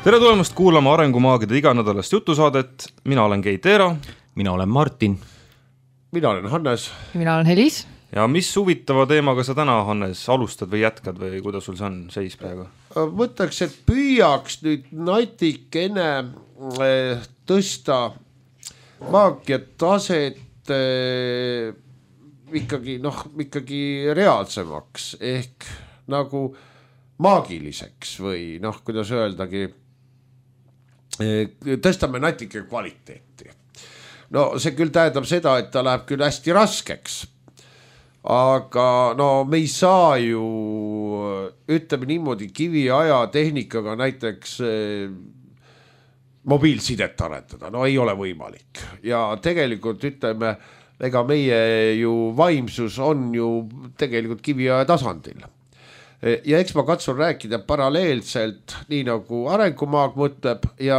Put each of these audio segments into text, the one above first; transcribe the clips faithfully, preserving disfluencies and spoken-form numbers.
tere tulemast kuulama Arengumaagide iganädalast jutusaadet. Mina olen Keit Eero. Mina olen Martin. Mina olen Hannes. Mina olen Helis. Ja mis huvitava teemaga sa täna, Hannes, alustad või jätkad või kuidas sul see on seis praegu? Mõtleks, et püüaks nüüd natikene tõsta maagia taset ikkagi, noh, ikkagi reaalsemaks ehk nagu maagiliseks või noh, kuidas öeldagi, tõstame natuke kvaliteeti. No see küll tähendab seda, et ta läheb küll hästi raskeks, aga no me ei saa ju, ütleme niimoodi, kiviaja tehnikaga näiteks mobiilsidet arendada, no ei ole võimalik. Ja tegelikult ütleme, ega meie ju vaimsus on ju tegelikult kiviaja tasandil. Ja eks ma katsun rääkida paralleelselt, nii nagu arengumaag mõtleb ja,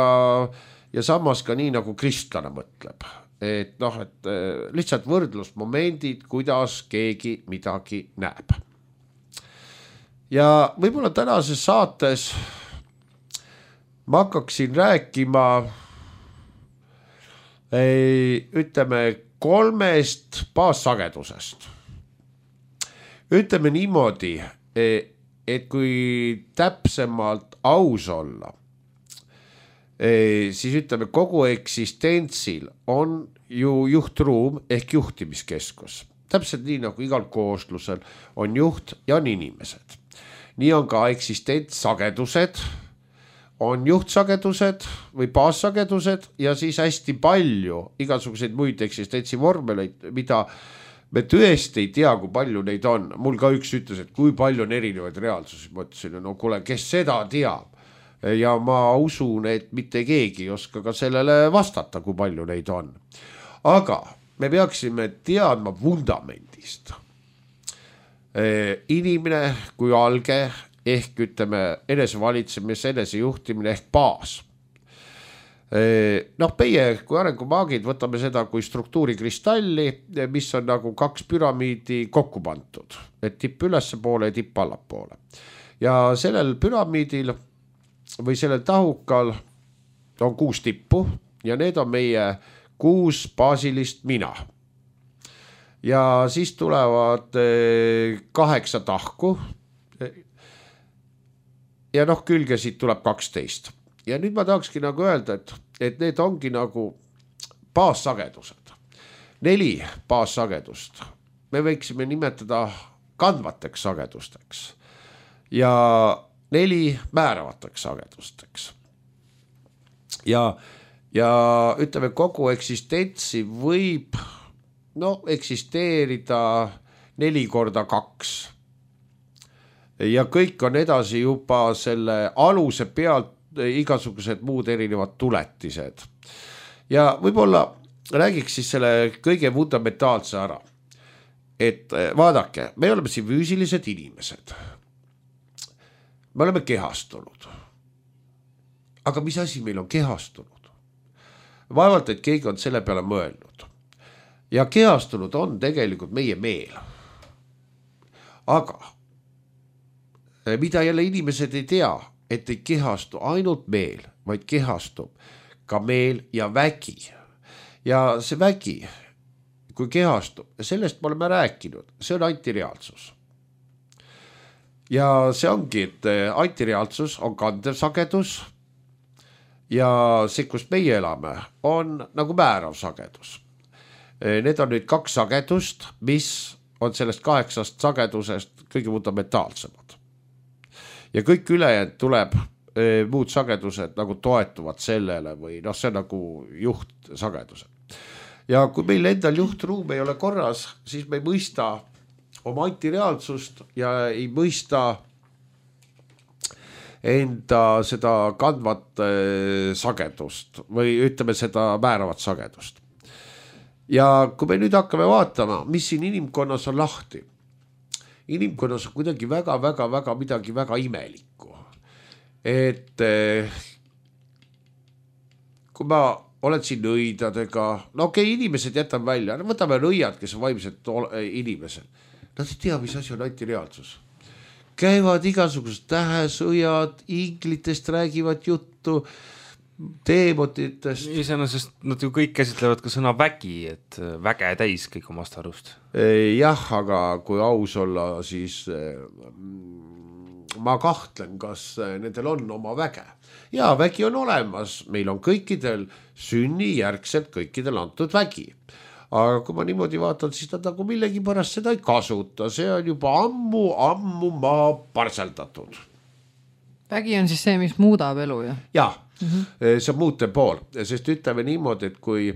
ja samas ka nii nagu kristlane mõtleb. Et noh, et lihtsalt võrdlusmomendid, kuidas keegi midagi näeb. Ja võib-olla tänases saates ma hakkaksin rääkima ei, ütleme kolmest baassagedusest. Ütleme niimoodi, et kui täpsemalt aus olla, siis ütleme kogu eksistentsil on ju juhtruum ehk juhtimiskeskus. Täpselt nii nagu igal kooslusel on juht ja on inimesed. Nii on ka eksistentsagedused, on juhtsagedused või baassagedused ja siis hästi palju igasuguseid muid eksistentsi vormeleid, mida me tõesti ei tea, kui palju neid on. Mul ka üks ütles, et kui palju on erinevaid reaalsusi. Ma ütlesin, no kuule, kes seda teab? Ja ma usun, et mitte keegi ei oska ka sellele vastata, kui palju neid on. Aga me peaksime teadma vundamendist. Inimene kui alge ehk ütleme enesevalitsemise, enesejuhtimine ehk baas. Noh, meie kui arengumaagid võtame seda kui struktuurikristalli, mis on nagu kaks püramiidi kokku pandud, et tipp ülesse poole ja tipp allapoole. Ja sellel püramiidil või sellel tahukal on kuus tippu ja need on meie kuus baasilist mina. Ja siis tulevad kaheksa tahku ja noh, külgesid tuleb kaksteist. Ja nüüd ma tahakski nagu öelda, et, et need ongi nagu baassagedused. Neli baassagedust. Me võiksime nimetada kandvateks sagedusteks. Ja neli määravateks sagedusteks. Ja, ja ütleme, kogu eksistentsi võib no, eksisteerida neli korda kaks. Ja kõik on edasi juba selle aluse pealt igasugused muud erinevad tuletised. Ja võib-olla räägiks siis selle kõige fundamentaalse ära. Et vaadake, me oleme siin füüsilised inimesed. Me oleme kehastunud. Aga mis asi meil on kehastunud? Vaevalt, et keegi on selle peale mõelnud. Ja kehastunud on tegelikult meie meel. Aga mida jälle inimesed ei tea, et ei kehastu ainult meel, vaid kehastub ka meel ja vägi. Ja see vägi, kui kehastub, sellest me oleme rääkinud, see on antireaalsus. Ja see ongi, et antireaalsus on kandev sagedus ja see, kus meie elame, on nagu määrav sagedus. Need on nüüd kaks sagedust, mis on sellest kaheksast sagedusest kõige fundamentaalsemad. Ja kõik ülejäänud tuleb e, muud sagedused nagu toetuvad sellele või noh, see on nagu juhtsagedused. Ja kui meil endal juhtruum ei ole korras, siis me ei mõista oma antireaalsust ja ei mõista enda seda kandvat e, sagedust või ütleme seda määravat sagedust. Ja kui me nüüd hakkame vaatama, mis siin inimkonnas on lahti, inimkonnas on kuidagi väga, väga, väga midagi väga imelikku. Et kui ma olen siin nõidadega, no okei, okay, inimesed jätan välja, võtame nõiad, kes on vaimsed inimesed. Nad ei tea, mis asi on antireaalsus. käivad igasugused tähesõjad, inglitest räägivad juttu, teemotitest. Iseenesest nad ju kõik käsitlevad ka sõna vägi, et väge täis kõik omast arust. Jah, aga kui aus olla, siis ma kahtlen, kas nendel on oma väge. Ja vägi on olemas, meil on kõikidel sünni järgselt kõikidel antud vägi. Aga kui ma niimoodi vaatan, siis nad nagu millegi pärast seda ei kasuta. See on juba ammu, ammu maa parseldatud. Vägi on siis see, mis muudab elu, jah? Jah, mm-hmm. see on muute pool, sest ütleme niimoodi, et kui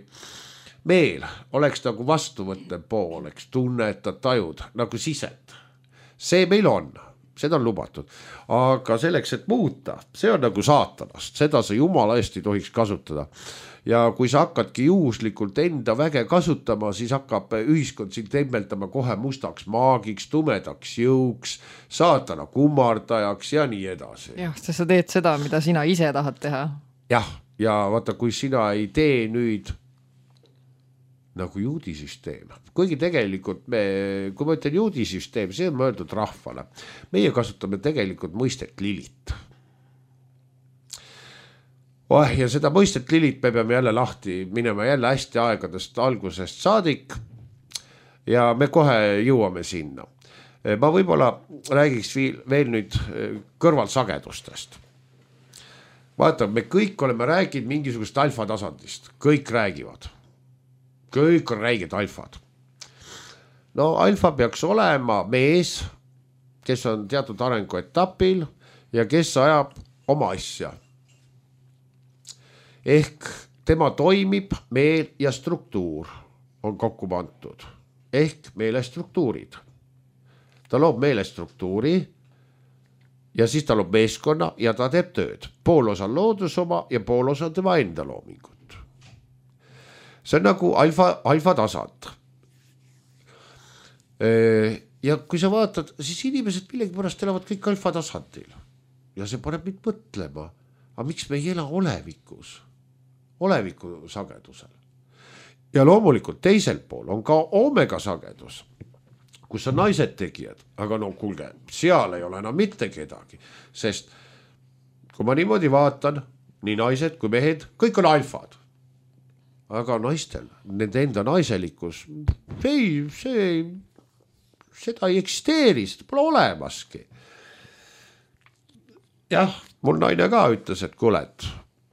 meil oleks nagu vastuvõttev pool, eks tunnetad, tajud nagu sisend, see meil on, seda on lubatud, aga selleks, et muuta, see on nagu saatanast, seda sa jumala eest ei tohiks kasutada. Ja kui sa hakkadki juhuslikult enda väge kasutama, siis hakkab ühiskond sind temmeldama kohe mustaks maagiks, tumedaks jõuks, saatana kummardajaks ja nii edasi. Jah, sest sa teed seda, mida sina ise tahad teha. Jah, ja vaata, kui sina ei tee nüüd nagu juudisüsteem, kuigi tegelikult me, kui ma ütlen juudisüsteem, see on mõeldud rahvale. Meie kasutame tegelikult mõistet Lilit. Oh, ja seda mõistet Lilit me peame jälle lahti minema jälle hästi aegadest algusest saadik ja me kohe jõuame sinna. Ma võib-olla räägiks veel nüüd kõrvalsagedustest. Vaata, me kõik oleme rääginud mingisugust alfa tasandist. Kõik räägivad. Kõik on räägid alfad. No alfa peaks olema mees, kes on teatud arenguetapil ja kes ajab oma asja. Ehk tema toimib, meel ja struktuur on kokku pandud. Ehk meelestruktuurid. Ta loob meelestruktuuri ja siis ta loob meeskonna ja ta teeb tööd. Pool osa loodus oma ja pool osa tema enda loomingut. See on nagu alfa, alfa tasand. Ja kui sa vaatad, siis inimesed millegi pärast elavad kõik alfa tasandil. Ja see paneb mind mõtlema, aga miks me ei ela olevikus? Oleviku sagedusel. Ja loomulikult teisel pool on ka omega sagedus, kus on naised tegijad, aga no kuulge, seal ei ole enam mitte kedagi, sest kui ma niimoodi vaatan, nii naised kui mehed, kõik on alfad. Aga naistel, nende enda naiselikkus, ei, see, seda ei eksisteeri, seda pole olemaski. Jah, mul naine ka ütles, et kuulet,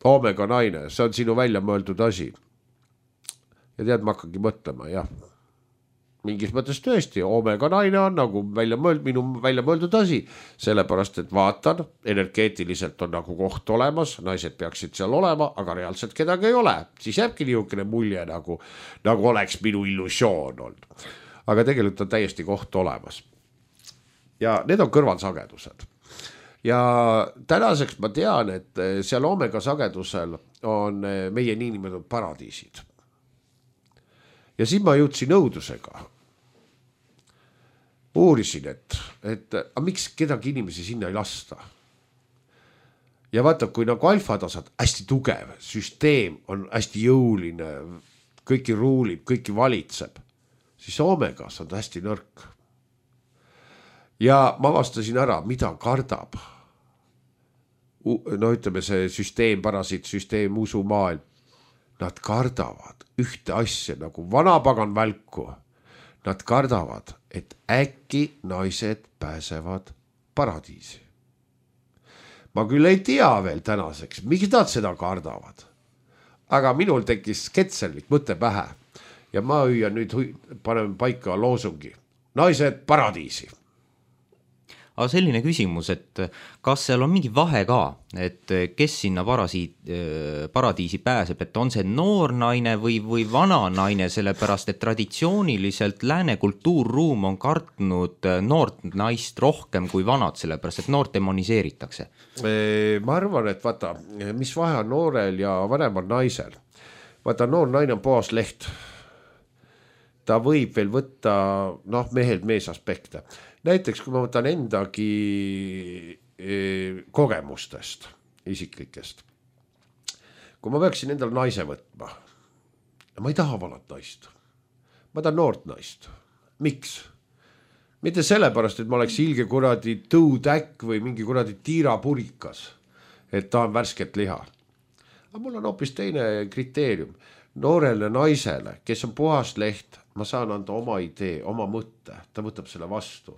omega naine, see on sinu välja mõeldud asi. Ja tead, ma hakkangi mõtlema, jah. Mingis mõttes tõesti, omega naine on nagu välja mõeld, minu välja mõeldud asi, sellepärast, et vaatan, energeetiliselt on nagu koht olemas, naised peaksid seal olema, aga reaalselt kedagi ei ole. Siis jääbki niisugune mulje nagu, nagu oleks minu illusioon olnud. Aga tegelikult on täiesti koht olemas. Ja need on kõrvalsagedused. Ja tänaseks ma tean, et seal omega sagedusel on meie niinimetatud paradiisid. Ja siis ma jõudsin õudusega. Uurisin, et, et a, miks kedagi inimesi sinna ei lasta. Ja vaata, kui nagu alfatasad hästi tugev, süsteem on hästi jõuline, kõiki ruulib, kõiki valitseb, siis omegas on ta hästi nõrk. Ja ma vastasin ära, mida kardab. No ütleme see süsteem, parasiit, süsteem, usumaailm. Nad kardavad ühte asja nagu vanapagan välku. Nad kardavad, et äkki naised pääsevad paradiisi. Ma küll ei tea veel tänaseks, miks nad seda kardavad. Aga minul tekkis ketserlik mõte pähe. Ja ma hüüan nüüd, paneme paika loosungi. Naised paradiisi. Aga selline küsimus, et kas seal on mingi vahe ka, et kes sinna parasiit, paradiisi pääseb, et on see noor naine või, või vana naine, sellepärast, et traditsiooniliselt lääne kultuurruum on kartnud noort naist rohkem kui vanad, sellepärast, et noort demoniseeritakse. Ma arvan, et vaata, mis vahe on noorel ja vanemal naisel. Vaata, noor naine on puhas leht. Ta võib veel võtta, noh, mehelt mees aspekte. Näiteks, kui ma võtan endagi kogemustest, isiklikest. Kui ma peaksin endale naise võtma, ma ei taha vanat naist. Ma tahan noort naist. Miks? mitte sellepärast, et ma oleks ilge kuradi tõutäkk või mingi kuradi tiirapurikas, et tahan värsket liha. Aga mul on hoopis teine kriteerium. Noorele naisele, kes on puhas leht, ma saan anda oma idee, oma mõtte, ta võtab selle vastu.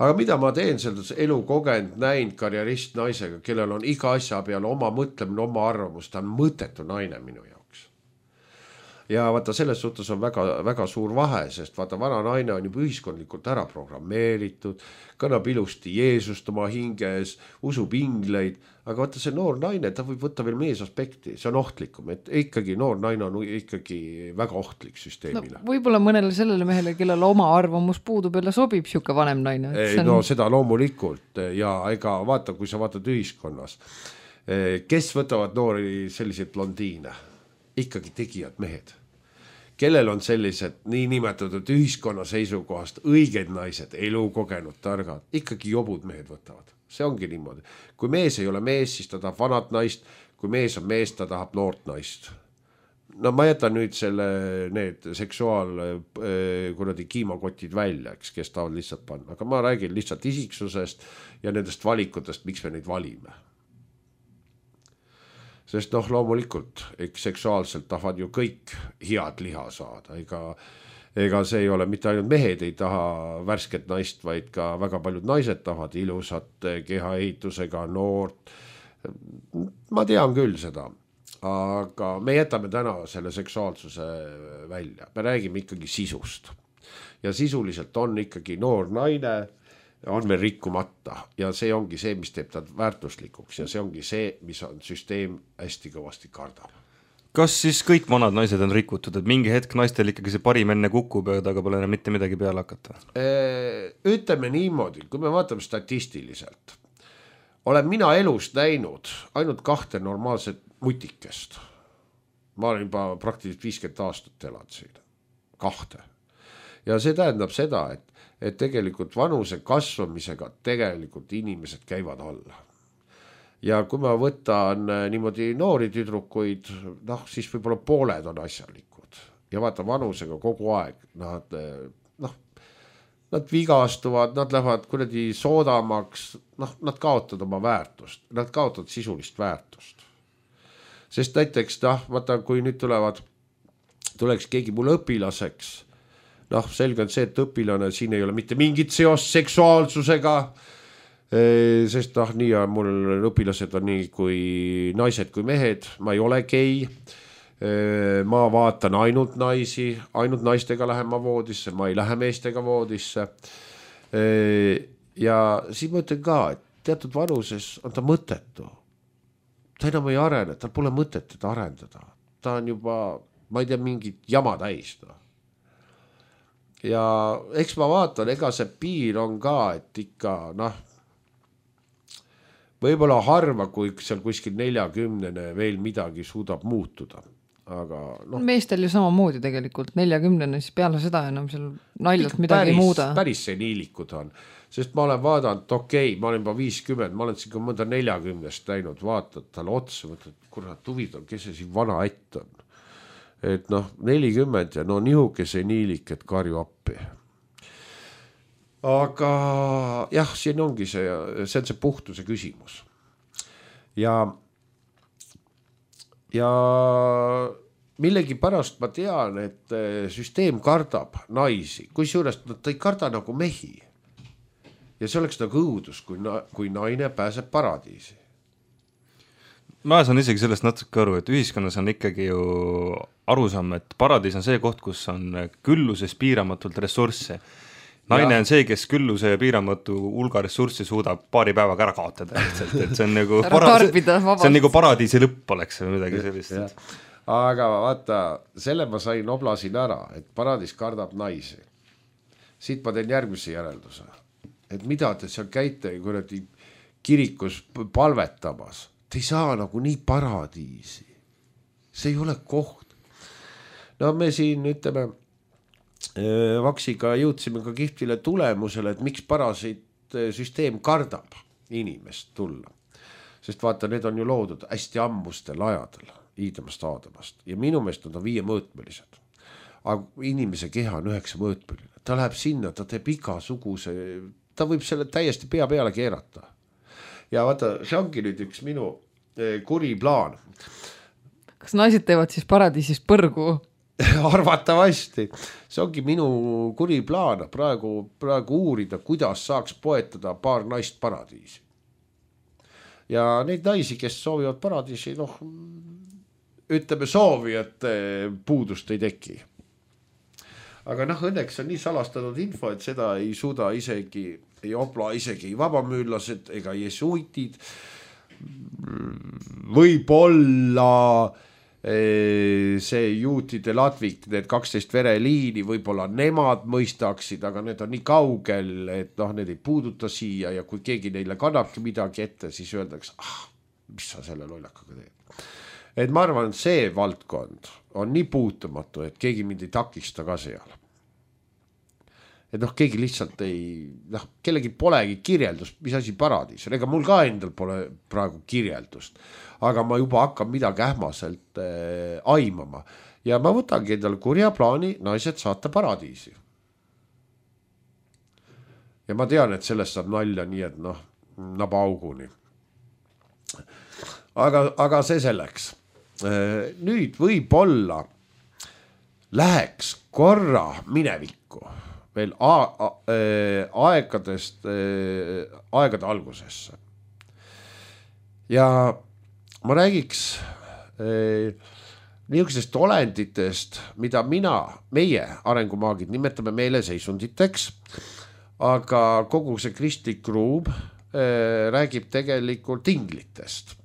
Aga mida ma teen selles elu kogenud, näinud karjerist naisega, kellel on iga asja peale oma mõtlemine, oma arvamus, ta on mõttetu naine minu jaoks. Ja vaata, selles suhtes on väga, väga suur vahe, sest vaata, vana naine on juba ühiskondlikult ära programmeeritud, kannab ilusti Jeesust oma hinges, usub ingleid, aga vaata see noor naine, ta võib võtta veel mees aspekti, see on ohtlikum, et ikkagi noor naine on ikkagi väga ohtlik süsteemile. No, võib-olla mõnele sellele mehele, kellel oma arvamus puudub, jälle sobib siuke vanem naine. Ei, on... No seda loomulikult ja ega vaata, kui sa vaatad ühiskonnas, kes võtavad noori selliseid blondiine? Ikkagi tegijad mehed, kellel on sellised niinimetatud ühiskonna seisukohast õiged naised, elukogenud, targad, ikkagi jobud mehed võtavad. See ongi niimoodi. Kui mees ei ole mees, siis ta tahab vanat naist, kui mees on mees, ta tahab noort naist. No ma jätan nüüd selle, need seksuaal kuradi kiimakotid välja, eks, kes tahavad lihtsalt panna, aga ma räägin lihtsalt isiksusest ja nendest valikutest, miks me neid valime. Sest noh, loomulikult, eks seksuaalselt tahavad ju kõik head liha saada, ega, ega see ei ole, mitte ainult mehed ei taha värsket naist, vaid ka väga paljud naised tahavad ilusat kehaehitusega noort. Ma tean küll seda, aga me jätame täna selle seksuaalsuse välja, me räägime ikkagi sisust ja sisuliselt on ikkagi noor naine, on veel rikkumata ja see ongi see, mis teeb ta väärtuslikuks ja see ongi see, mis on süsteem hästi kõvasti kardab. Kas siis kõik vanad naised on rikutud, et mingi hetk naistel ikkagi see parim enne kukub ja taga pole enam mitte midagi peale hakata? Ütleme niimoodi, kui me vaatame statistiliselt, olen mina elust näinud ainult kahte normaalset mutikest. Ma olen juba praktiliselt viiskümmend aastat elanud siin. Kahte. Ja see tähendab seda, et et tegelikult vanuse kasvamisega tegelikult inimesed käivad alla. Ja kui ma võtan niimoodi noori tüdrukuid, noh, siis võib-olla pooled on asjalikud. Ja vaata vanusega kogu aeg, nad, noh, nad vigastuvad, nad lähevad kuradi soodamaks, noh, nad kaotavad oma väärtust, nad kaotavad sisulist väärtust. Sest näiteks, noh, vaata, kui nüüd tulevad, tuleks keegi mul õpilaseks, noh, selge on see, et õpilane siin ei ole mitte mingit seost seksuaalsusega, sest noh, nii on mul õpilased on nii kui naised kui mehed, ma ei ole gei, ma vaatan ainult naisi, ainult naistega lähen ma voodisse, ma ei lähe meestega voodisse. Ja siis ma ütlen ka, et teatud vanuses on ta mõttetu. Ta enam ei arene, tal pole mõtet teda arendada. Ta on juba, ma ei tea, mingit jama täis. No. Ja eks ma vaatan, ega see piir on ka, et ikka, noh, võib-olla harva, kui seal kuskil neljakümnene veel midagi suudab muutuda. Aga, no. Meestel ju samamoodi tegelikult, neljakümnene, siis peale seda enam seal naljalt midagi päris, muuda. Päris seniilikud on, sest ma olen vaadanud, okei, okay, ma olen juba viiskümmend, ma olen siin ka mõnda neljakümnest näinud, vaatad talle otsa, mõtled, kurat, huvitav, kes see siin vana ätt on. Et noh, nelikümmend ja no nihuke seniilik, et karju appi. Aga jah, siin ongi see, see on see puhtuse küsimus. Ja, ja millegi pärast ma tean, et süsteem kardab naisi, kui suurest ta ei karda nagu mehi. Ja see oleks nagu õudus, kui, na, kui naine pääseb paradiisi. Ma saan isegi sellest natuke aru, et ühiskonnas on ikkagi ju arusaam, et paradiis on see koht, kus on külluses piiramatult ressursse. Naine ja. On see, kes külluse ja piiramatu hulga ressurssi suudab paari päevaga ära kaotada. Lihtsalt, et see on nagu, para- see on nagu paradiisi lõpp oleks või midagi sellist. Ja. Aga vaata, selle ma sain oblasin ära, et paradiis kardab naisi. Siit ma teen järgmise järelduse. Et mida te seal käite kuradi kirikus palvetamas? Te ei saa nagu nii paradiisi. See ei ole koht. No me siin ütleme, Vaksiga jõudsime ka kihvile tulemusele, et miks parasiit süsteem kardab inimest tulla. Sest vaata, need on ju loodud hästi ammustel ajadel, iidamast aadamast. Ja minu meelest on ta viie mõõtmelised. Aga inimese keha on üheksa mõõtmeline. ta läheb sinna, ta teeb igasuguse, ta võib selle täiesti pea peale keerata. Ja vaata, see ongi nüüd üks minu kuri plaan. Kas naised teevad siis paradiisis põrgu? Arvatavasti. See ongi minu kuri plaan praegu, praegu uurida, kuidas saaks poetada paar naist paradiisi. Ja neid naisi, kes soovivad paradiisi, noh, ütleme soovi, et puudust ei teki. Aga noh, õnneks on nii salastatud info, et seda ei suuda isegi, ei obla isegi vabamüürlased ega jesuitid. Võib-olla see juutide latvik, need kaksteist vereliini, võib-olla nemad mõistaksid, aga need on nii kaugel, et noh, need ei puuduta siia ja kui keegi neile kannabki midagi ette, siis öeldakse, ah, mis sa selle lollakaga teed. Et ma arvan, see valdkond on nii puutumatu, et keegi mind ei takista ka seal. Et noh, keegi lihtsalt ei, noh, kellegi polegi kirjeldust, mis asi paradiis. Ega mul ka endal pole praegu kirjeldust, aga ma juba hakkan midagi ähmaselt äh, aimama. Ja ma võtangi endal kurja plaani naised saata paradiisi. Ja ma tean, et sellest saab nalja nii, et noh, naba auguni. Aga, aga see selleks. Äh, nüüd võib-olla läheks korra minevikku. Veel a- a- aegadest, aegade algusesse. Ja ma räägiks niisugustest olenditest, mida mina, meie arengumaagid nimetame meeleseisunditeks, aga kogu see kristlik ruum räägib tegelikult inglitest.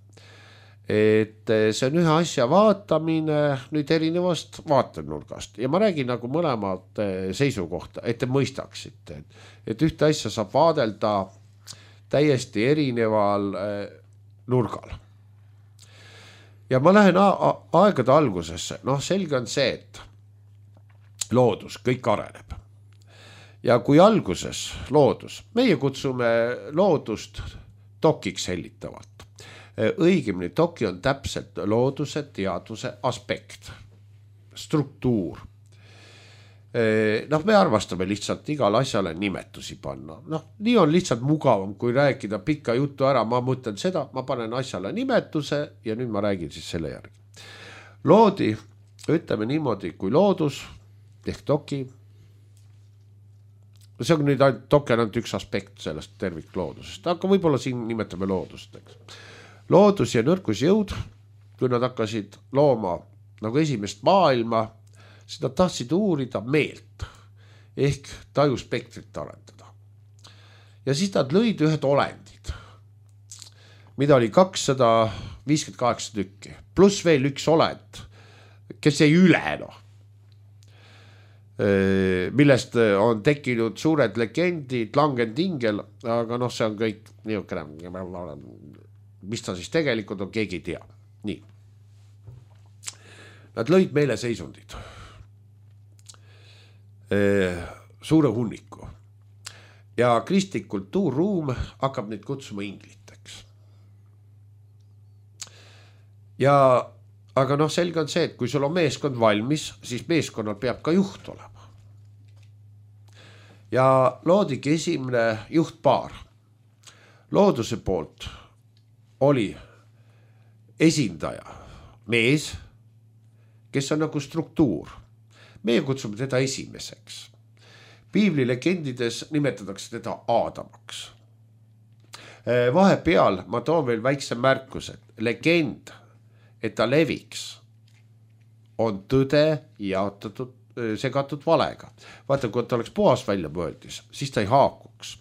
Et see on ühe asja vaatamine nüüd erinevast vaatenurgast ja ma räägin nagu mõlemad seisukohta, et te mõistaksite, et, et ühte asja saab vaadelda täiesti erineval nurgal. Ja ma lähen a- aegade algusesse, noh selge on see, et loodus, kõik areneb. Ja kui alguses loodus, meie kutsume loodust dokiks hellitavalt. Õigemini doki on täpselt looduse teadvuse aspekt, struktuur. Noh, me arvastame lihtsalt igale asjale nimetusi panna. Noh, nii on lihtsalt mugavam, kui rääkida pikka juttu ära. Ma mõtlen seda, ma panen asjale nimetuse ja nüüd ma räägin siis selle järgi. Loodi, ütleme niimoodi, kui loodus, ehk doki. See on nüüd ainult, doki on ainult üks aspekt sellest tervikloodusest, aga võib-olla siin nimetame loodust, eks. Loodus ja nõrkusjõud, kui nad hakkasid looma nagu esimest maailma, siis nad tahtsid uurida meelt ehk tajuspektrit arendada. Ja siis nad lõid ühed olendid, mida oli kakssada viiskümmend kaheksa tükki, pluss veel üks olend, kes jäi üle, noh. Millest on tekkinud suured legendid, langendingel, aga noh, see on kõik niisugune, mis ta siis tegelikult on, keegi ei tea. Nii. Nad lõid meile seisundid. Suure hunniku. Ja kristlik kultuurruum hakkab neid kutsuma ingliteks. Ja, aga noh, selge on see, et kui sul on meeskond valmis, siis meeskonnal peab ka juht olema. Ja loodigi esimene juhtpaar. Looduse poolt oli esindaja, mees, kes on nagu struktuur. Meie kutsume teda esimeseks. Piibli legendides nimetatakse teda Aadamaks. Vahepeal ma toon veel väikse märkuse. Legend, et ta leviks, on tõde jaotatud, segatud valega. Vaata, kui ta oleks puhas välja mõeldis, siis ta ei haakuks.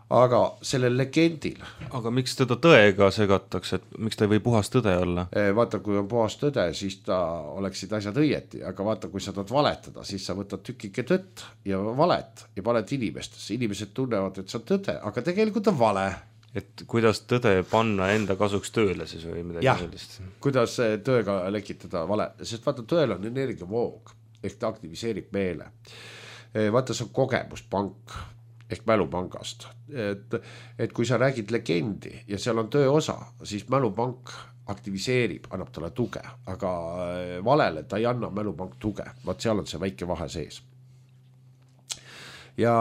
Aga sellel legendil. Aga miks teda tõega segatakse, et miks ta ei või puhas tõde olla? Vaata, kui on puhas tõde, siis ta oleksid asjad õieti, aga vaata, kui sa tahad valetada, siis sa võtad tükike tõtt ja valet ja valet inimestesse. Inimesed tunnevad, et see on tõde, aga tegelikult on vale. Et kuidas tõde panna enda kasuks tööle siis või midagi jah, sellist? Kuidas tõega lekitada vale, sest vaata, tõel on energiavoog, ehk ta aktiviseerib meele. Vaata, see on kogemuspank ehk mälupangast, et, et kui sa räägid legendi ja seal on töö osa, siis mälupank aktiviseerib, annab talle tuge, aga valele ta ei anna mälupank tuge, vaat seal on see väike vahe sees. ja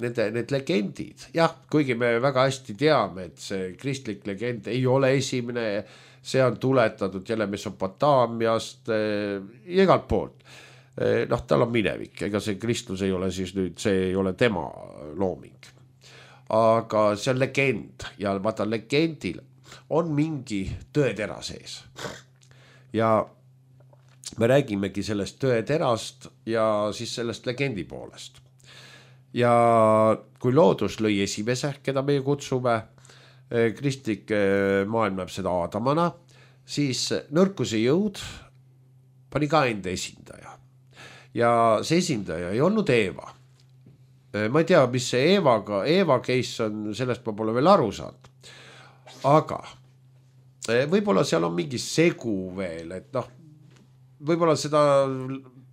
nende, need legendid, jah, kuigi me väga hästi teame, et see kristlik legend ei ole esimene, see on tuletatud jälle Mesopotaamiast äh, igalt poolt. Äh, noh, tal on minevik, ega see kristlus ei ole siis nüüd, see ei ole tema looming. Aga see on legend ja vaata legendil on mingi tõetera sees. Ja me räägimegi sellest tõeterast ja siis sellest legendi poolest. Ja kui loodus lõi esimese, keda meie kutsume, kristlik maailm näeb seda Aadamana, siis nõrkuse jõud pani ka enda esindaja. Ja see esindaja ei olnud Eeva. Ma ei tea, mis see Eevaga, Eeva case on, sellest ma pole veel aru saanud. Aga võib-olla seal on mingi segu veel, et noh, võib-olla seda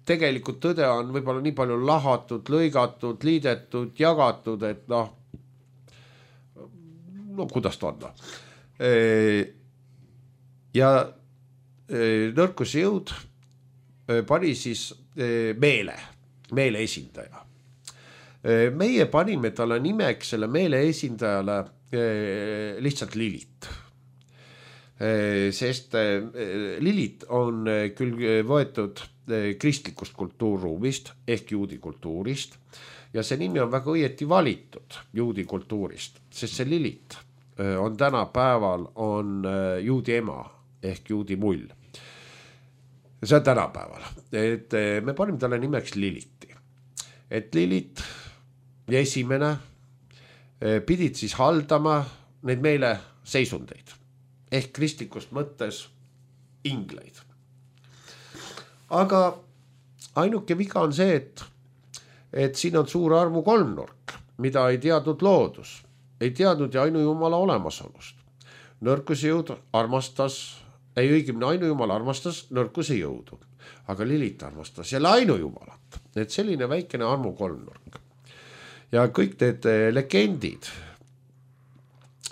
tegelikult tõde on võib-olla nii palju lahatud, lõigatud, liidetud, jagatud, et noh, no kuidas ta on. Ja nõrkuse jõud pani siis meele, meele esindaja. Meie panime talle nimeks selle meele esindajale lihtsalt Lilit. Sest Lilit on küll võetud kristlikust kultuurruumist ehk juudi kultuurist ja see nimi on väga õieti valitud juudi kultuurist, sest see Lilit on tänapäeval on juudi ema ehk juudi mull. See on tänapäeval, et me panime talle nimeks Liliti, et Lilit ja esimene pidid siis haldama neid meile seisundeid ehk kristlikust mõttes ingleid. Aga ainuke viga on see, et, et siin on suur arvu kolmnurk, mida ei teadnud loodus, ei teadnud ja ainujumala olemasolust. Nõrkuse jõud armastas, ei õigemini ainujumala armastas nõrkuse jõudu, aga Lilit armastas jälle ainujumalat, et selline väikene armu kolmnurk. Ja kõik need legendid,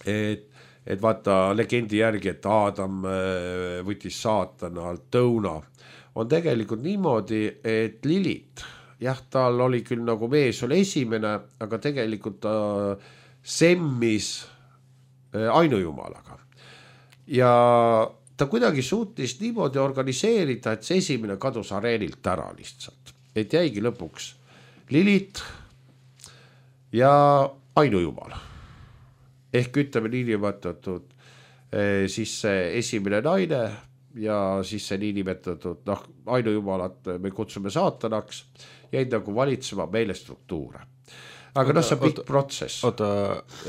et et vaata legendi järgi, et Aadam võttis saatanalt õuna, on tegelikult niimoodi, et Lilit, jah, tal oli küll nagu mees oli esimene, aga tegelikult ta semmis ainujumalaga. Ja ta kuidagi suutis niimoodi organiseerida, et see esimene kadus areenilt ära lihtsalt. Et jäigi lõpuks Lilit ja ainujumal. Ehk ütleme niinimetatud siis see esimene naine ja siis see niinimetatud noh, ainujumalat me kutsume saatanaks, jäid nagu valitsema meile struktuure. Aga noh, see on pikk protsess. Oota,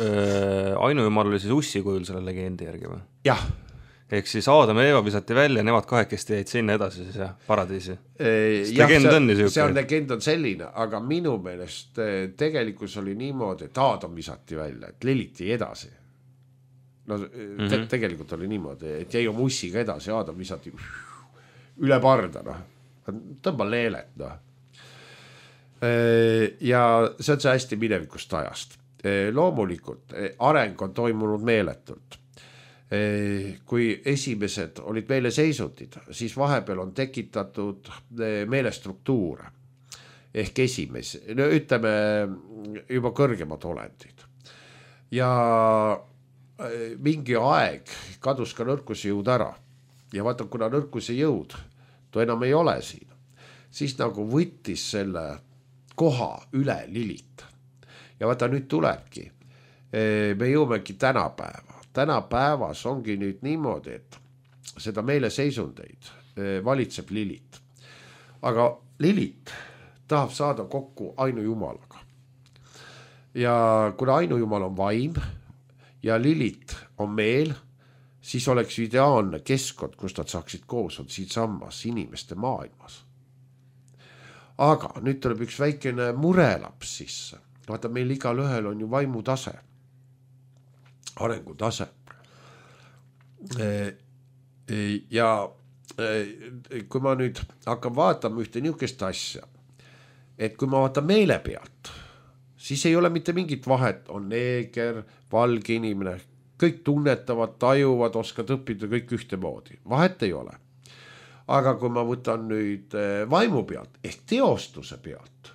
äh, ainujumal oli siis ussi kujul selle legendi järgi või? Jah. Ehk siis Aadam ja Eeva visati välja, nemad kahekesti jäid sinna edasi siis jah, paradiisi. Ja, legend on see, see on legend on selline, aga minu meelest tegelikult oli niimoodi, et Aadam visati välja, et Liliti edasi. No te, mm-hmm. tegelikult oli niimoodi, et jäi oma ussiga edasi, Aadam visati üle parda, noh. Tõmba leelet, noh. Ja see on see hästi minevikust ajast. Loomulikult areng on toimunud meeletult. Kui esimesed olid meile seisundid, siis vahepeal on tekitatud meelestruktuure ehk esimesi, no ütleme juba kõrgemad olendid. Ja mingi aeg kadus ka nõrkuse jõud ära ja vaata, kuna nõrkuse jõud to enam ei ole siin, siis nagu võttis selle koha üle Lilit. Ja vaata, nüüd tulebki, me jõumegi tänapäeva. Tänapäevas ongi nüüd niimoodi, et seda meile seisundeid valitseb Lilit. Aga Lilit tahab saada kokku ainujumalaga. Ja kuna ainujumal on vaim ja Lilit on meel, siis oleks ideaalne keskkond, kus nad saaksid koos on siin sammas inimeste maailmas. Aga nüüd tuleb üks väikene murelaps sisse. Vaata, meil igal ühel on ju vaimutase. Arengutase. Ja kui ma nüüd hakkan vaatama ühte niisugust asja, et kui ma vaatan meele pealt, siis ei ole mitte mingit vahet, on neeger, valge inimene, kõik tunnetavad, tajuvad, oskad õppida kõik ühtemoodi. Vahet ei ole. Aga kui ma võtan nüüd vaimu pealt ehk teostuse pealt,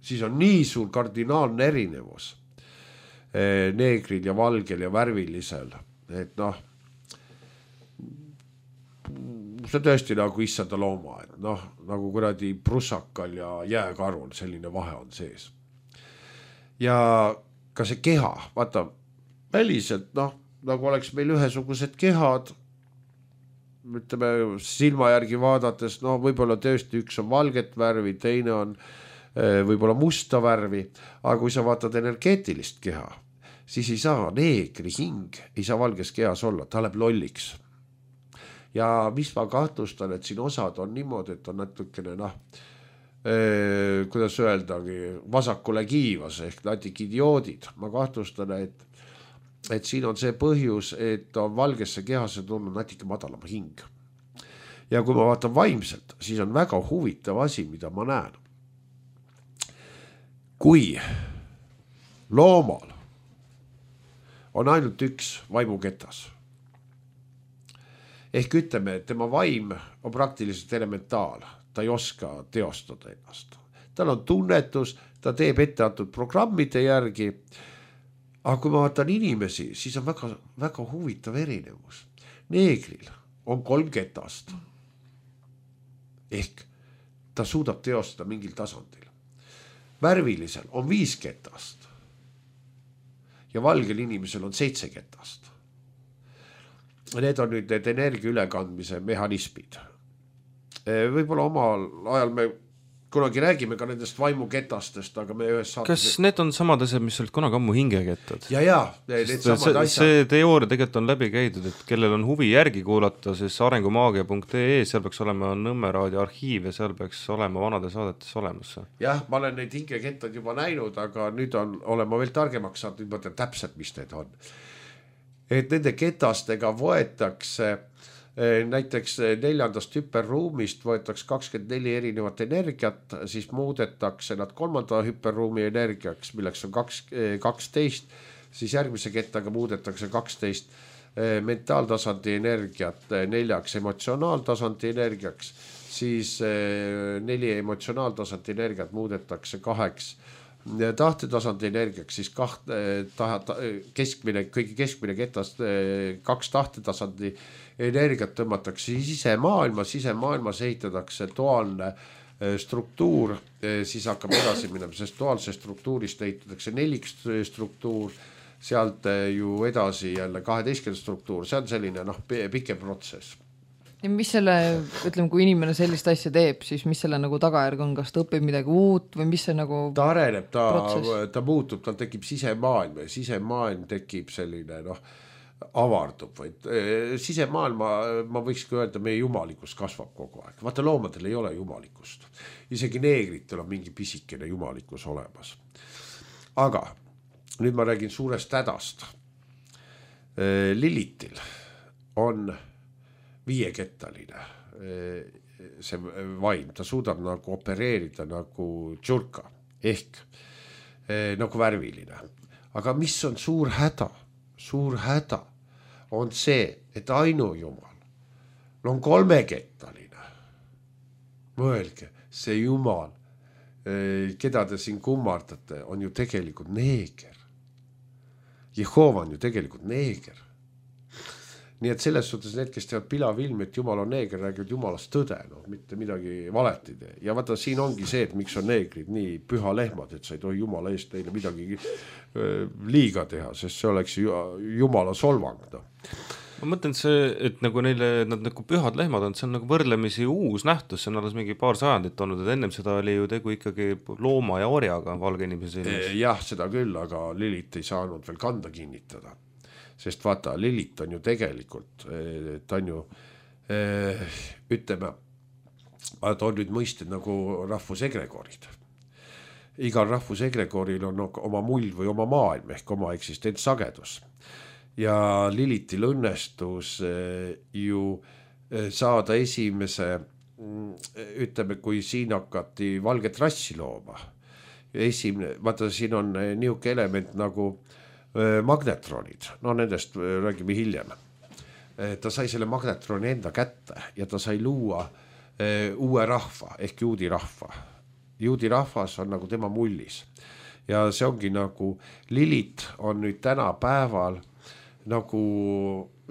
siis on nii suur kardinaalne erinevus neegril ja valgel ja värvilisel, et noh, see tõesti nagu issanda looma, et noh, nagu kuradi prussakal ja jääkarul selline vahe on sees. Ja ka see keha, vaata, väliselt, noh, nagu oleks meil ühesugused kehad, ütleme silma järgi vaadates, no võib-olla tõesti üks on valget värvi, teine on võib-olla musta värvi, aga kui sa vaatad energeetilist keha, siis ei saa neegri hing, ei saa valges kehas olla, ta läheb lolliks. Ja mis ma kahtlustan, et siin osad on niimoodi, et on natukene, noh, eh, kuidas öeldagi, vasakule kiivas ehk natik idioodid. Ma kahtlustan, et, et siin on see põhjus, et on valgesse kehasse tulnud natuke madalama hing. Ja kui ma vaatan vaimselt, siis on väga huvitav asi, mida ma näen. Kui loomal on ainult üks vaimuketas, ehk ütleme, et tema vaim on praktiliselt elementaal, ta ei oska teostada ennast. Tal on tunnetus, ta teeb etteantud programmide järgi, aga kui ma vaatan inimesi, siis on väga, väga huvitav erinevus. Neegril on kolm ketast, ehk ta suudab teostada mingil tasandil. Värvilisel on viis ketast ja valgel inimesel on seitse ketast. Need on nüüd need energia ülekandmise mehhanismid. Võib-olla omal ajal me kunagi räägime ka nendest vaimuketastest, aga me ühes saates... Kas need on samad asjad, mis olid kunagi ammu hingekettad? Ja, ja, need samad see, asjad. See teooria tegelikult on läbi käidud, et kellel on huvi järgi kuulata, siis arengumaagia punkt ee, seal peaks olema Nõmme raadio arhiiv ja seal peaks olema vanade saadetes olemas. Jah, ma olen neid hingekettad juba näinud, aga nüüd on, olen ma veel targemaks saanud, nüüd mõtlen täpselt, mis need on. Et nende ketastega võetakse näiteks neljandast hüperruumist võetakse kakskümmend neli erinevat energiat, siis muudetakse nad kolmanda hüperruumi energiaks, milleks on kaksteist, siis järgmise kettaga muudetakse kaksteist mentaaltasandi energiat neljaks emotsionaaltasandi energiaks, siis neli emotsionaaltasandi energiat muudetakse kaheks tahtetasandi energiaks, siis kaht, ta, ta, keskmine, kõigi keskmine ketast kaks tahtetasandi energiat tõmmatakse sisemaailma, sisemaailmas ehitatakse duaalne struktuur, siis hakkab edasi minema, sest duaalse struktuurist ehitatakse nelik struktuur, sealt ju edasi jälle kaheteistkümne struktuur, see on selline noh, pikem protsess. Ja mis selle, ütleme, kui inimene sellist asja teeb, siis mis selle nagu tagajärg on, kas ta õpib midagi uut või mis see nagu ta areneb, ta, ta muutub, tal tekib sisemaailm ja sisemaailm tekib selline noh, avardub, vaid sisemaailma, ma võikski öelda, meie jumalikus kasvab kogu aeg. Vaata, loomadel ei ole jumalikust. Isegi neegritel on mingi pisikene jumalikus olemas. Aga nüüd ma räägin suurest hädast. Lilitil on viiekettaline see vaim, ta suudab nagu opereerida nagu tšurka ehk nagu värviline. Aga mis on suur häda? Suur häda on see, et ainujumal on kolmekettaline. Mõelge, see jumal, keda te siin kummardate, on ju tegelikult neeger. Jehova on ju tegelikult neeger. Nii et selles suhtes need, kes teevad pilavilmi, et jumal on neeger, räägivad jumalast tõde, no, mitte midagi valet ei tee. Ja vaata, siin ongi see, et miks on neegrid nii püha lehmad, et sa ei tohi jumala eest neile midagi liiga teha, sest see oleks jumala solvang. No. Ma mõtlen see, et nagu neile nad nagu pühad lehmad on, see on nagu võrdlemisi uus nähtus, see on alles mingi paar sajandit olnud, et ennem seda oli ju tegu ikkagi looma ja orjaga valge inimese silmis. Jah, seda küll, aga Lilit ei saanud veel kanda kinnitada. Sest vaata, Lilit on ju tegelikult, ta on ju, ütleme, ta on nüüd mõisted nagu rahvusegregorid. Igal rahvusegregoril on oma mull või oma maailm ehk oma eksistentsagedus. Ja Lilitil õnnestus ju saada esimese, ütleme, kui siin hakati valget rassi looma. Esimene, vaata, siin on niuke element nagu magnetronid, no nendest räägime hiljem. Ta sai selle magnetroni enda kätte ja ta sai luua uue rahva ehk juudi rahva. juudi rahvas on nagu tema mullis ja see ongi nagu Lilith on nüüd tänapäeval nagu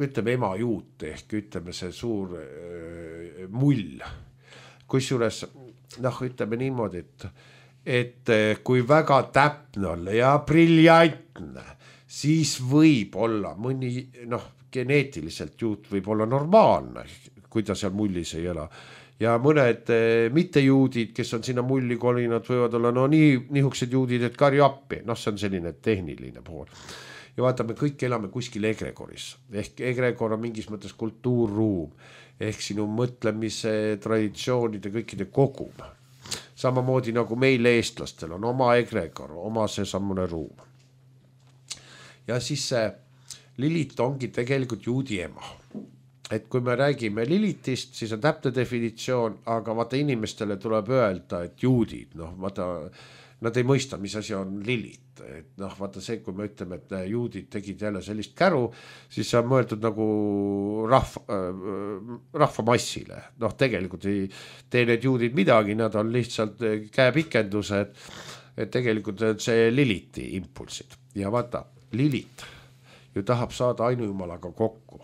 ütleme ema juut ehk ütleme see suur äh, mull, kusjuures noh, ütleme niimoodi, et, et kui väga täpne olla ja briljantne, siis võib olla mõni noh, geneetiliselt juut võib olla normaalne, kui ta seal mullis ei ela. Ja mõned mittejuudid, kes on sinna mulli kolinud, võivad olla no nii nihukesed juudid, et karju appi. Noh, see on selline tehniline pool. Ja vaata, me kõik elame kuskil egregoris. Ehk egregor on mingis mõttes kultuurruum. Ehk sinu mõtlemise, traditsioonide, kõikide kogum. Samamoodi nagu meil eestlastel on oma egregor, oma see sammune ruum. Ja siis see Lilith ongi tegelikult juudi ema. Et kui me räägime Lilithist, siis on täpne definitsioon, aga vaata inimestele tuleb öelda, et juudid, noh, vaata, nad ei mõista, mis asi on Lilith. Et noh, vaata see, kui me ütleme, et juudid tegid jälle sellist käru, siis see on mõeldud nagu rahva, äh, rahvamassile. Noh, tegelikult ei tee need juudid midagi, nad on lihtsalt käepikendused, et tegelikult see Lilithi impulsid. Ja vaata, Lilith ju tahab saada ainujumalaga kokku.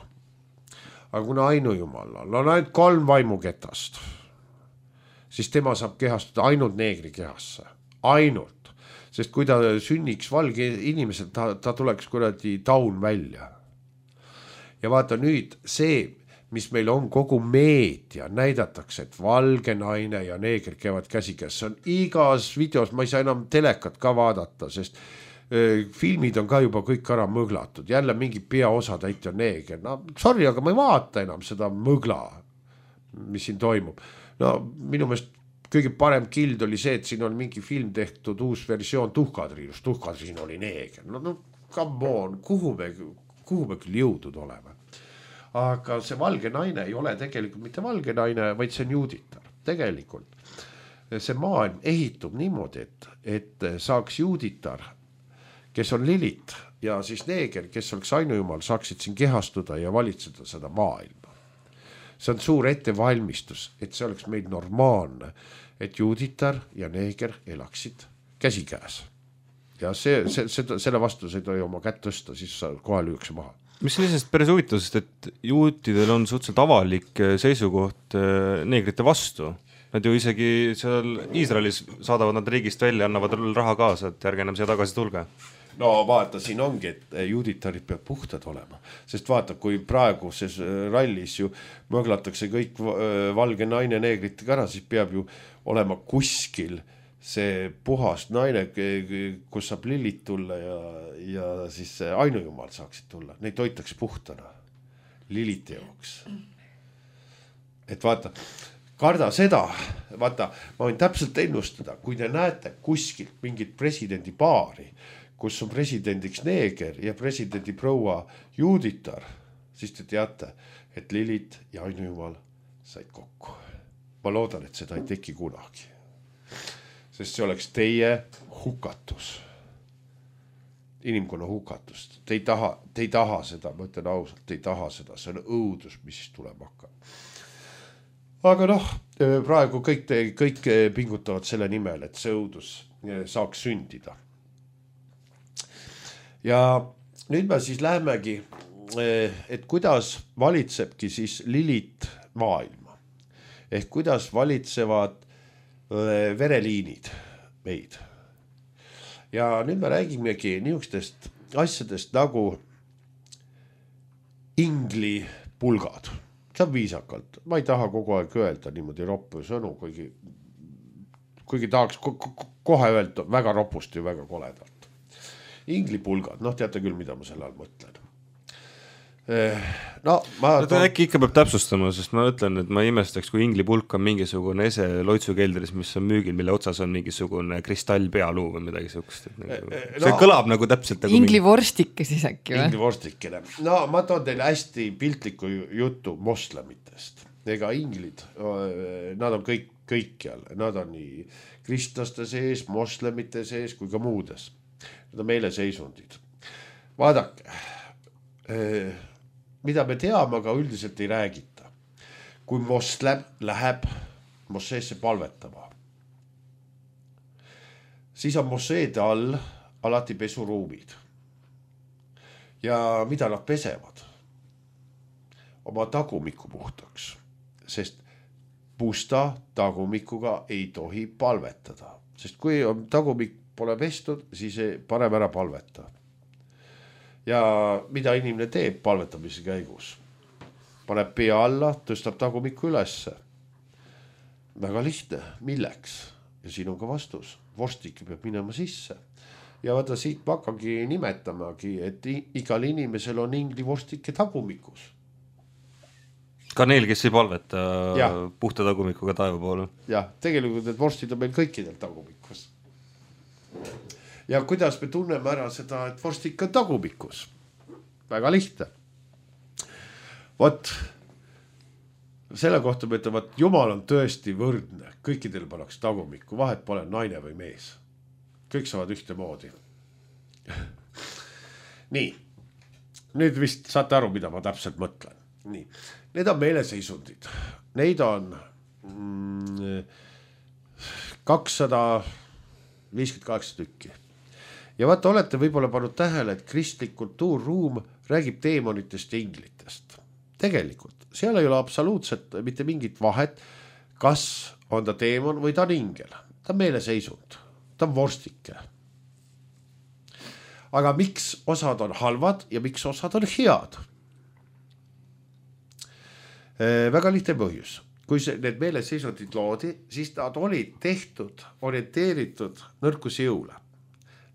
Aga kuna ainujumalal on ainult kolm vaimuketast, siis tema saab kehastuda ainult neegri kehasse. Ainult. Sest kui ta sünniks valge inimesel, ta, ta tuleks kuradi taun välja. Ja vaata nüüd see, mis meil on kogu meedia, näidatakse, et valge naine ja neeger käivad käsikäes. See on igas videos, ma ei saa enam telekat ka vaadata, sest filmid on ka juba kõik ära mõglatud, jälle mingi peaosatäitja neeger, no sorry, aga ma ei vaata enam seda mõgla, mis siin toimub. No minu meelest kõige parem kild oli see, et siin on mingi film tehtud uus versioon Tuhkadriinust, Tuhkadriin oli neeger, no, no come on, kuhu me, kuhu me küll jõudnud oleme. Aga see valge naine ei ole tegelikult mitte valge naine, vaid see on juuditar, tegelikult. See maailm ehitub niimoodi, et, et saaks juuditar, kes on Lilith ja siis neeger, kes oleks ainujumal, saaksid siin kehastuda ja valitseda seda maailma. See on suur ettevalmistus, et see oleks meil normaalne, et juuditar ja neeger elaksid käsikäes. Ja see, see, see, selle vastu sa ei tohi oma kätt tõsta, siis sa kohe lüüakse maha. Mis on lihtsalt päris huvitav, sest et juutidel on suhteliselt avalik seisukoht neegrite vastu. Nad ju isegi seal Iisraelis saadavad nad riigist välja, annavad raha kaasa, et järge enam siia tagasi tulge. No vaata, siin ongi, et juuditarid peab puhtad olema, sest vaata, kui praeguses rallis ju mõglatakse kõik valge naine neegritega ära, siis peab ju olema kuskil see puhas naine, kus saab Lilith tulla ja, ja siis ainujumal saaksid tulla. Neid toitakse puhtana Lilithi jaoks. Et vaata, karda seda, vaata, ma võin täpselt ennustada, kui te näete kuskilt mingit presidendi paari, kus on presidendiks neeger ja presidendi proua juuditar, siis te teate, et Lilith ja ainujumal said kokku. Ma loodan, et seda ei teki kunagi. Sest see oleks teie hukatus. Inimkonna hukatus. Te ei taha, te ei taha seda, ma ütlen ausalt, te ei taha seda. See on õudus, mis siis tuleb hakkab. Aga noh, praegu kõik, te, kõik pingutavad selle nimel, et see õudus saaks sündida. Ja nüüd me siis lähemegi, et kuidas valitsebki siis Lilith maailma. Ehk kuidas valitsevad vereliinid meid. Ja nüüd me räägimegi niisugustest asjadest nagu inglipulgad. See on viisakalt. Ma ei taha kogu aeg öelda niimoodi roppu sõnu, kuigi, kuigi tahaks ko- ko- kohe öelda väga ropust ja väga koledalt. Inglipulgad, noh teate küll, mida ma selle all mõtlen. No, ma no, ta äkki ikka peab täpsustama, sest ma ütlen, et ma imestaks, kui inglipulk on mingisugune ese loitsukeldris, mis on müügil, mille otsas on mingisugune kristallpealuu või midagi sukust. Nagu, see no, kõlab nagu täpselt nagu inglivorstike siis äkki või? Inglivorstikene. No ma toon teile hästi piltliku jutu moslemitest. Ega inglid, nad on kõik, kõikjal. Nad on nii kristlaste sees, moslemite sees kui ka muudes. Need on meile seisundid. Vaadake, mida me teame, aga üldiselt ei räägita. Kui moslem läheb Moseesse palvetama, siis on mosseede all alati pesuruumid. Ja mida nad pesevad? Oma tagumiku puhtaks, sest pusta tagumikuga ei tohi palvetada, sest kui on tagumik pole pestud, siis ei parem ära palveta. Ja mida inimene teeb palvetamise käigus? Paneb pea alla, tõstab tagumiku ülesse. Väga lihtne, milleks? Ja siin on ka vastus. Vorstik peab minema sisse. Ja vaata siit ma hakkangi nimetamagi, et igal inimesel on ingli vorstike tagumikus. Ka neil, kes ei palveta ja. Puhta tagumikuga taeva poole. Ja, tegelikult need vorstid on meil kõikidel tagumikus. Ja kuidas me tunneme ära seda, et vorstik on tagumikus? Väga lihtne. Vot, selle kohta me ütleme, et Jumal on tõesti võrdne. Kõikidel paneks tagumiku, vahet pole naine või mees. Kõik saavad ühte moodi. Nii, nüüd vist saate aru, mida ma täpselt mõtlen. Nii, need on meeleseisundid. Neid on mm, kakssada viiskümmend kaheksa tükki. Ja vaata, olete võib-olla pannud tähele, et kristlik kultuurruum räägib teemonitest ja inglitest. Tegelikult, seal ei ole absoluutselt mitte mingit vahet, kas on ta teemon või ta on ingel. Ta on meeleseisund, ta on vorstike. Aga miks osad on halvad ja miks osad on head? Väga lihtne põhjus. Kui see, need meeleseisundid loodi, siis nad olid tehtud, orienteeritud nõrkusjõule.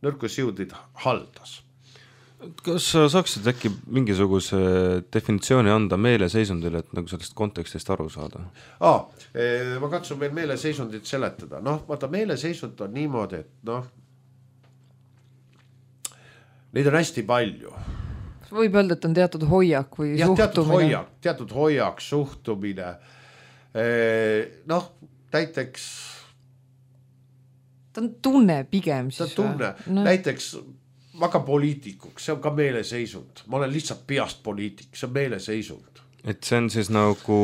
Nõrkusjõudid haldas. Kas saaksid äkki mingisuguse definitsiooni anda meeleseisundile, et nagu sellest kontekstist aru saada? Aa, ma katsun veel meeleseisundit seletada. Noh, vaata, meeleseisund on niimoodi, et noh, neid on hästi palju. Võib öelda, et on teatud hoiak või ja, suhtumine. Teatud hoiak, teatud hoiak, suhtumine. Noh, näiteks... Ta on tunne pigem siis. Ta tunne. No. Näiteks ma hakkan poliitikuks, see on ka meeleseisund. Ma olen lihtsalt peast poliitik, see on meeleseisund. Et see on siis nagu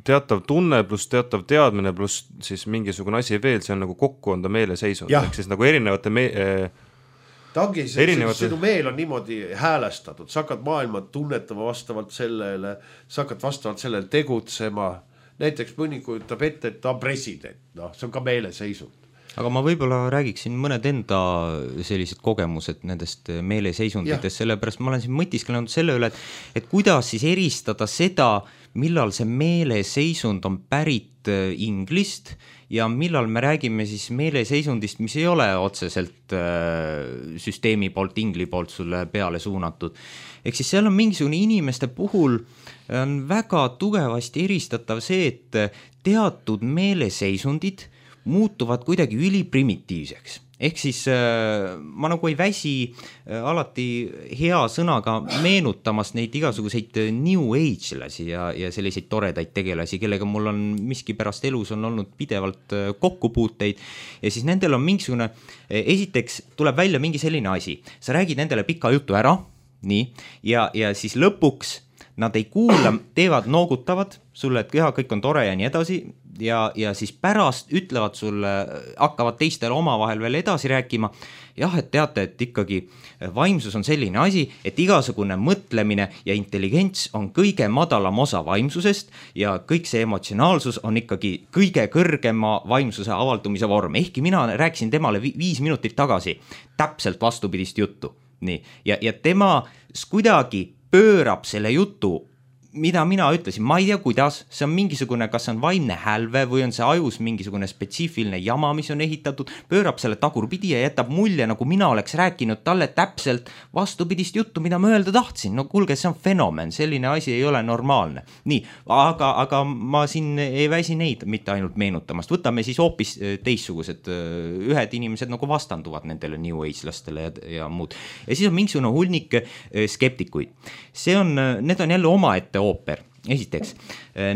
teatav tunne pluss teatav teadmine pluss siis mingisugune asi veel, see on nagu kokku on ta meeleseisund. Ehk siis nagu erinevate... Me ta ongi, see, erinevate... sinu meel on niimoodi häälestatud. Sa hakkad maailma tunnetama vastavalt sellele, sa hakkad vastavalt sellele tegutsema. Näiteks mõni kujutab ette, et ta on president. No, see on ka meeleseisund. Aga ma võib-olla räägiksin mõned enda sellised kogemused nendest meeleseisunditest, sellepärast ma olen siin mõtisklenud selle üle, et, et kuidas siis eristada seda, millal see meeleseisund on pärit inglist ja millal me räägime siis meeleseisundist, mis ei ole otseselt süsteemi poolt, ingli poolt sulle peale suunatud. Ehk siis seal on mingisugune inimeste puhul on väga tugevasti eristatav see, et teatud meeleseisundid muutuvad kuidagi üliprimitiivseks. Ehk siis äh, ma nagu ei väsi äh, alati hea sõnaga meenutamas neid igasuguseid new age-lasi ja, ja selliseid toredaid tegelasi, kellega mul on miski pärast elus on olnud pidevalt äh, kokkupuuteid ja siis nendel on mingisugune, äh, esiteks tuleb välja mingi selline asi, sa räägid nendele pika jutu ära, nii, ja, ja siis lõpuks nad ei kuula, teevad, noogutavad sulle, et keha, kõik on tore ja nii edasi ja, ja siis pärast ütlevad sulle, hakkavad teistele omavahel veel edasi rääkima. Jah, et teate, et ikkagi vaimsus on selline asi, et igasugune mõtlemine ja intelligents on kõige madalam osa vaimsusest ja kõik see emotsionaalsus on ikkagi kõige kõrgema vaimsuse avaldumise vorm. Ehkki mina rääkisin temale viis minutit tagasi täpselt vastupidist juttu. Nii. Ja, ja tema kuidagi pöörab selle jutu, mida mina ütlesin, ma ei tea kuidas, see on mingisugune, kas see on vaimne hälve või on see ajus mingisugune spetsiifiline jama, mis on ehitatud, pöörab selle tagurpidi ja jätab mulje, nagu mina oleks rääkinud talle täpselt vastupidist juttu, mida ma öelda tahtsin. No kuulge, see on fenomen, selline asi ei ole normaalne. Nii, aga, aga ma siin ei väsi neid mitte ainult meenutamast. Võtame siis hoopis teissugused, ühed inimesed nagu vastanduvad nendele new age-lastele ja, ja muud. Ja siis on mingisugune hulnik skeptikuid. See on, need on jälle omaette ooper. esiteks,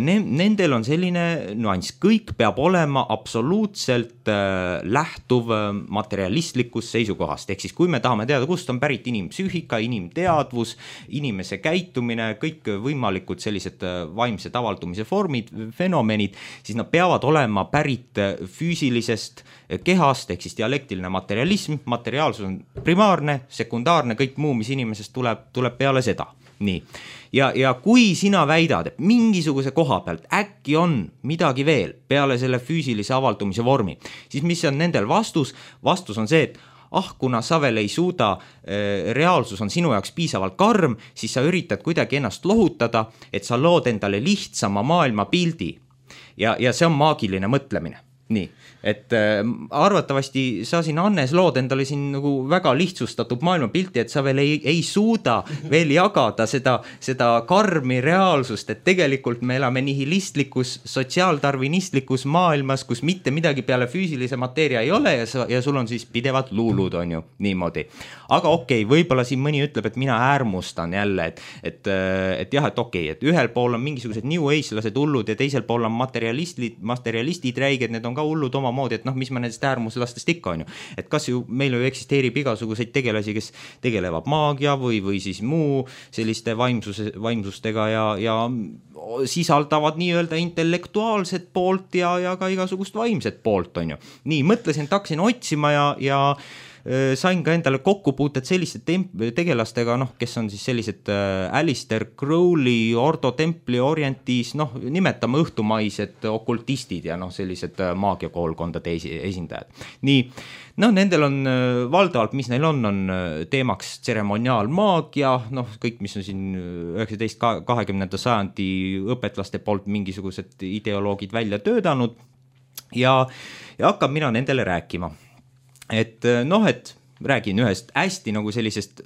ne, nendel on selline nüanss, kõik peab olema absoluutselt äh, lähtuv materialistlikust seisukohast, ehk siis kui me tahame teada, kust on pärit inimpsüühika, inimteadvus, inimese käitumine, kõik võimalikud sellised vaimsed avaldumise vormid, fenomenid, siis nad peavad olema pärit füüsilisest kehast, ehk siis dialektiline materialism, materiaalsus on primaarne, sekundaarne, kõik muu, mis inimesest tuleb, tuleb peale seda. Nii. Ja, ja kui sina väidad, et mingisuguse koha pealt äkki on midagi veel peale selle füüsilise avaldumise vormi, siis mis on nendel vastus? Vastus on see, et ah, kuna sa veel ei suuda, reaalsus on sinu jaoks piisavalt karm, siis sa üritad kuidagi ennast lohutada, et sa lood endale lihtsama maailma pildi. Ja, ja see on maagiline mõtlemine. Nii, et äh, arvatavasti sa siin Annes lood endale siin nagu väga lihtsustatud maailmapilti, et sa veel ei, ei suuda veel jagada seda, seda karmi reaalsust, et tegelikult me elame nihilistlikus, sotsiaaldarvinistlikus maailmas, kus mitte midagi peale füüsilise mateeria ei ole ja, sa, ja sul on siis pidevad luulud, on ju, niimoodi. Aga okei, okay, võib-olla siin mõni ütleb, et mina äärmustan jälle, et, et, et jah, et okei, okay, et ühel pool on mingisugused new age-lased hullud ja teisel pool on materialistid, materialistid räiged, need on ka hullud omamoodi, et noh, mis me nendest äärmuslastest ikka on ju. Et kas ju meil ju eksisteerib igasuguseid tegelasi, kes tegelevad maagia või, või siis muu selliste vaimsuse, vaimsustega ja, ja sisaldavad nii-öelda intellektuaalset poolt ja, ja ka igasugust vaimset poolt on ju. Nii, mõtlesin, et hakkasin otsima ja, ja sain ka endale kokkupuuted selliste temp- tegelastega, noh, kes on siis sellised äh, Alistair Crowley, Ordo Templi orientis, noh, nimetame õhtumaised okultistid ja noh, sellised äh, maagiakoolkondade esi- esindajad. Nii, noh, nendel on äh, valdavalt, mis neil on, on äh, teemaks tseremoniaalmaagia, noh, kõik, mis on siin üheksateist kahekümnenda sajandi õpetlaste poolt mingisugused ideoloogid välja töödanud ja, ja hakkab mina nendele rääkima. Et noh, et räägin ühest hästi nagu sellisest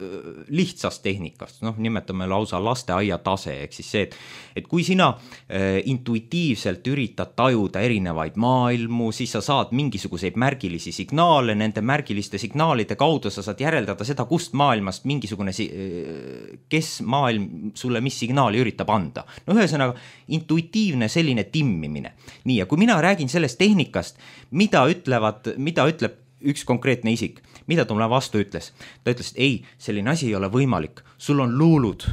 lihtsast tehnikast, noh, nimetame lausa lasteaia tase, ehk siis see, et, et kui sina äh, intuitiivselt üritad tajuda erinevaid maailmu, siis sa saad mingisuguseid märgilisi signaale, nende märgiliste signaalide kaudu sa saad järeldada seda, kust maailmast mingisugune, kes maailm sulle mis signaali üritab anda. No ühesõnaga, intuitiivne selline timmimine. Nii, ja kui mina räägin sellest tehnikast, mida ütlevad, mida ütleb üks konkreetne isik, mida ta mulle vastu ütles? Ta ütles, et ei, selline asi ei ole võimalik, sul on luulud.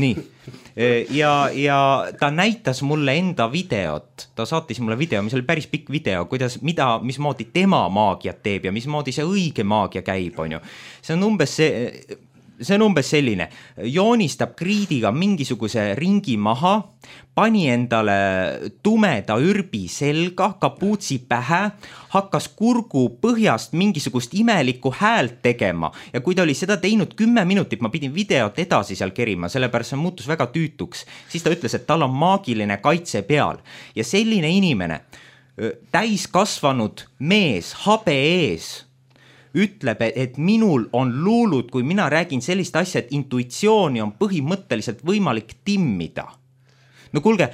Nii, ja, ja ta näitas mulle enda videot, ta saatis mulle video, mis oli päris pikk video, kuidas, mida, mismoodi tema maagiat teeb ja mismoodi see õige maagia käib, on ju. See on umbes see... See on umbes selline, joonistab kriidiga mingisuguse ringi maha, pani endale tumeda ürbi selga, kapuutsi pähe, hakkas kurgu põhjast mingisugust imelikku häält tegema ja kui ta oli seda teinud kümme minutit, ma pidin videot edasi seal kerima, sellepärast see muutus väga tüütuks, siis ta ütles, et tal on maagiline kaitse peal ja selline inimene, täiskasvanud mees, habe ees, ütleb, et minul on luulud, kui mina räägin sellist asja, et intuitsiooni on põhimõtteliselt võimalik timmida. No kuulge,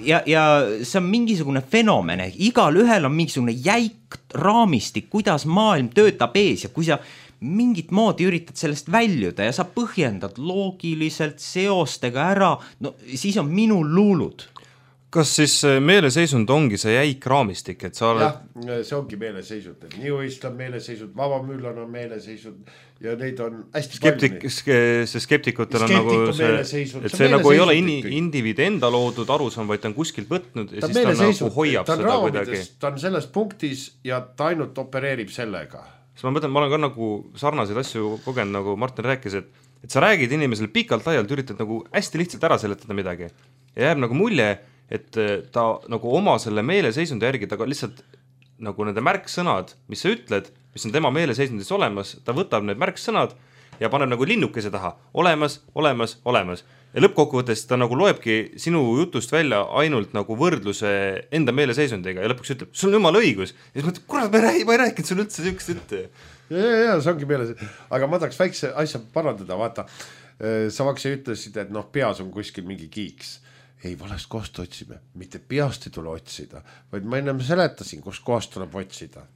ja, ja see on mingisugune fenomen, igal ühel on mingisugune jäik raamistik, kuidas maailm töötab ees ja kui sa mingit moodi üritad sellest väljuda ja sa põhjendad loogiliselt seostega ära, no siis on minul luulud. Kas siis meeleseisund ongi see jäik raamistik, et sa oled... jah, see ongi meeleseisund, et New Age on meeleseisund, Vaba Müllan on meeleseisund ja neid on hästi Skeptik, palju. See skeptikutel on nagu see, et see nagu ei ole in, indiviidi enda loodud arusaam, vaid ta on kuskilt võtnud ja ta siis ta nagu hoiab ta seda kuidagi. Ta on selles punktis ja ta ainult opereerib sellega. Siis ma mõtlen, ma olen ka nagu sarnaseid asju kogenud, nagu Martin rääkis, et, et sa räägid inimesele pikalt laialt, üritad nagu hästi lihtsalt ära seletada midagi ja jääb nagu mulje, et ta nagu oma selle meeleseisundi järgi, ta lihtsalt nagu nende märksõnad, mis sa ütled, mis on tema meeleseisundis olemas, ta võtab need märksõnad ja paneb nagu linnukese taha, olemas, olemas, olemas. Ja lõppkokkuvõttes ta nagu loebki sinu jutust välja ainult nagu võrdluse enda meeleseisundiga ja lõpuks ütleb, sul on jumala õigus. Ja siis mõtleb, kurat, ma ei, ma ei rääkinud sul üldse sükest ütte. Ja, ja, ja, see ongi meeles. Aga ma tahaks väikse asja parandada, vaata. Sa vakse ütlesid, et noh, peas on kuskil mingi kiiks. Ei, valest kohast otsime, mitte peast ei tule otsida, vaid ma ennem seletasin, kus kohast tuleb otsida.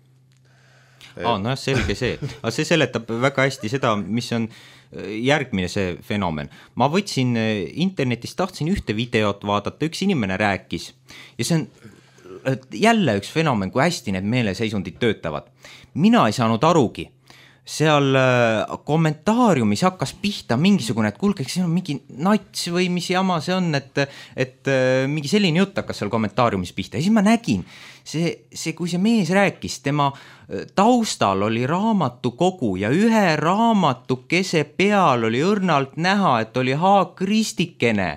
aa, no jah, selge see, aga see seletab väga hästi seda, mis on järgmine see fenomen. Ma võtsin internetist, tahtsin ühte videot vaadata, üks inimene rääkis ja see on jälle üks fenomen, kui hästi need meeleseisundid töötavad. Mina ei saanud arugi. Seal kommentaariumis hakkas pihta mingisugune, et kuulge, see on mingi nats või mis jama see on, et, et mingi selline jutt hakkas seal kommentaariumis pihta. Ja siis ma nägin, see, see, kui see mees rääkis, tema taustal oli raamatukogu ja ühe raamatukese peal oli õrnalt näha, et oli haakristikene.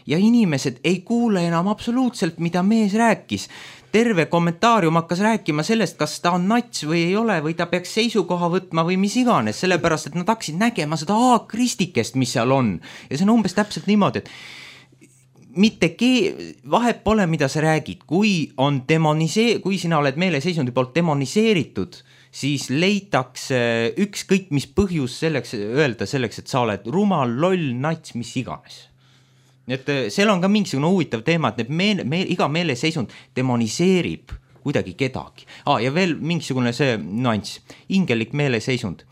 Ja inimesed ei kuule enam absoluutselt, mida mees rääkis. Terve kommentaarium hakkas rääkima sellest, kas ta on nats või ei ole, või ta peaks seisukoha võtma või mis iganes, sellepärast, et nad hakkasid nägema seda haakristikest, mis seal on. Ja see on umbes täpselt niimoodi, et mitte kee, vahet pole, mida sa räägid, kui on demonisee-, kui sina oled meeleseisundi poolt demoniseeritud, siis leitakse ükskõik mis põhjus selleks öelda selleks, et sa oled rumal, loll, nats, mis iganes. Nii et seal on ka mingisugune huvitav teema, et meele, meele, iga meeleseisund demoniseerib kuidagi kedagi. Ah, ja veel mingisugune see nüanss, ingelik meeleseisund.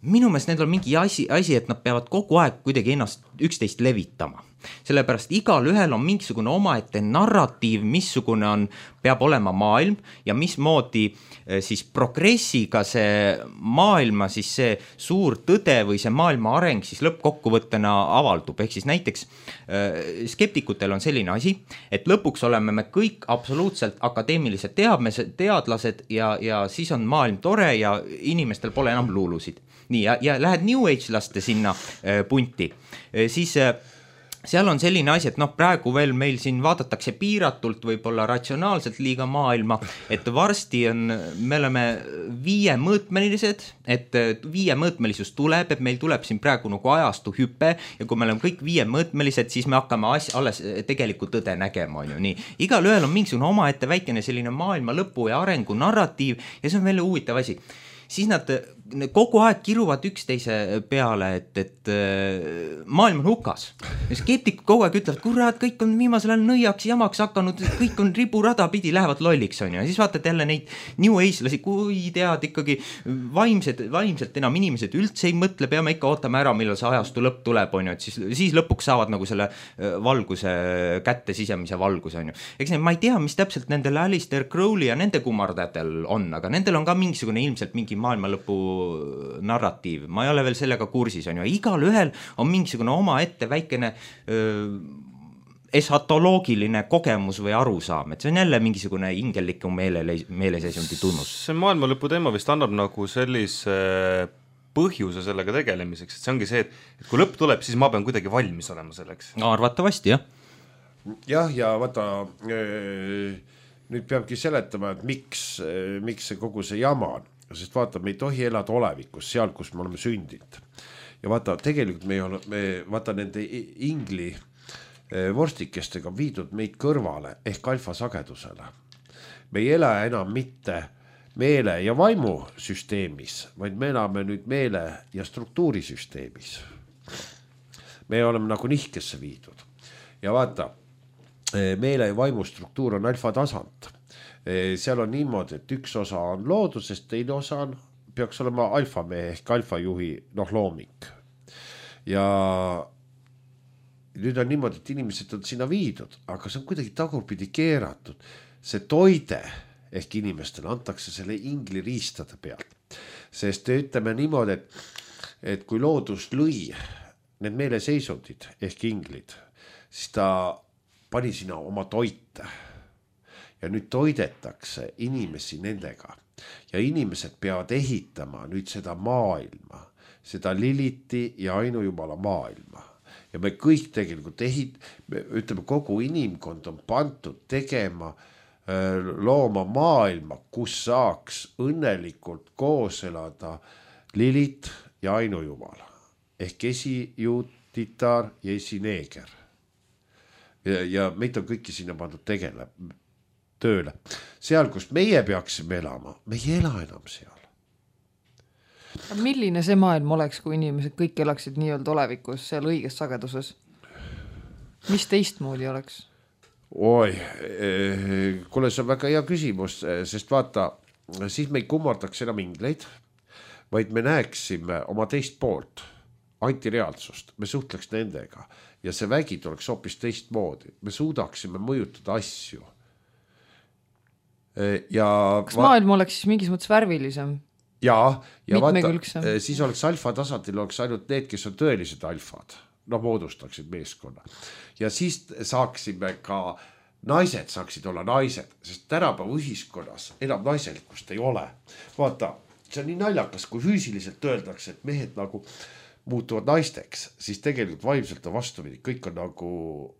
Minu meelest need on mingi asi, asi, et nad peavad kogu aeg kuidagi ennast üksteist levitama. Sellepärast igal ühel on mingisugune omaette narratiiv, missugune on, peab olema maailm ja mismoodi siis progressiga see maailma, siis see suur tõde või see maailma areng siis lõppkokkuvõttena avaldub. Ehk siis näiteks skeptikutel on selline asi, et lõpuks oleme me kõik absoluutselt akadeemilised teadmised, teadlased ja, ja siis on maailm tore ja inimestel pole enam luulusid. Nii, ja, ja lähed New Age laste sinna punti, siis seal on selline asi, et noh, praegu veel meil siin vaadatakse piiratult, võib-olla ratsionaalselt liiga maailma, et varsti on, me oleme viiemõõtmelised, et viiemõõtmelisus tuleb, et meil tuleb siin praegu nagu ajastu hüpe ja kui me oleme kõik viiemõõtmelised, siis me hakkame as, alles tegelikult tõde nägema, on ju nii. Igal ühel on mingisugune omaette väikene selline maailma lõpu ja arengu narratiiv ja see on veel huvitav asi. Siis nad kogu aeg kiruvad üksteise peale, et, et maailm on hukas. Ja skeptikud kogu aeg ütlevad, kurat, kõik on viimasel ajal nõiaks jamaks hakanud, kõik on riburada pidi, lähevad lolliks, on ju. Ja siis vaatad jälle neid New Age-lasi, kui tead ikkagi vaimsed, vaimselt enam inimesed üldse ei mõtle, peame ikka ootama ära, millal see ajastu lõpp tuleb, on ju, et siis, siis lõpuks saavad nagu selle valguse kätte sisemise valguse, on ju. Eks ne, ma ei tea, mis täpselt nendel Alistair Crowley ja nende kummardajatel on, aga nendel on ka mingisugune ilmselt mingi maailma lõpu narratiiv, ma ei ole veel sellega kursis, on ju, igal ühel on mingisugune oma ette väikene öö, esatoloogiline kogemus või arusaam, et see on jälle mingisugune ingeliku meele, meeleseisundi tunnus. See maailma lõpu teema vist annab nagu sellise põhjuse sellega tegelemiseks, et see ongi see, et kui lõpp tuleb, siis ma pean kuidagi valmis olema selleks. Arvatavasti, jah. Jah, ja vaata, nüüd peabki seletama, et miks, miks see kogu see jama on. Sest vaata, me ei tohi elada olevikus, seal, kus me oleme sündinud. Ja vaata, tegelikult me, ole, me vaata nende ingli vorstikestega viidud meid kõrvale ehk alfasagedusele. Me ei ela enam mitte meele- ja vaimusüsteemis, vaid me elame nüüd meele- ja struktuurisüsteemis. Me oleme nagu nihkesse viidud. Ja vaata, meele- ja vaimustruktuur on alfatasand. Seal on niimoodi, et üks osa on loodusest, teine osa on, peaks olema alfamehe ehk alfajuhi noh, loomik. Ja nüüd on niimoodi, et inimesed on sinna viidud, aga see on kuidagi tagurpidi keeratud. See toide ehk inimestele antakse selle ingli riistade pealt. Sest ütleme niimoodi, et, et kui loodus lõi need meeleseisundid ehk inglid, siis ta pani sinna oma toite. Ja nüüd toidetakse inimesi nendega ja inimesed peavad ehitama nüüd seda maailma, seda Liliti ja ainujumala maailma. Ja me kõik tegelikult ehit, me, ütleme, kogu inimkond on pantud tegema, looma maailma, kus saaks õnnelikult koos elada Lilit ja ainujumala ehk esijuut, titar ja esineeger. Ja, ja meid on kõiki sinna pandud tegele. Tööle. Seal, kus meie peaksime elama, me ei ela enam seal. Milline see maailm oleks, kui inimesed kõik elaksid nii-öelda olevikus seal õiges sageduses? Mis teistmoodi oleks? Oi, kuule, see on väga hea küsimus, sest vaata, siis me ei kummardaks enam ingleid, vaid me näeksime oma teist poolt, antireaalsust, me suhtleks nendega ja see vägi tuleks hoopis teistmoodi, me suudaksime mõjutada asju. Ja kas maailm oleks siis mingis mõttes värvilisem? Ja, ja vaata, siis oleks alfa tasandil oleks ainult need, kes on tõelised alfad, no moodustaksid meeskonna. Ja siis saaksime ka, naised saaksid olla naised, sest tänapäeva ühiskonnas enam naiselikkust ei ole. Vaata, see on nii naljakas, kui füüsiliselt öeldakse, et mehed nagu muutuvad naisteks, siis tegelikult vaimselt on vastupidi, kõik on nagu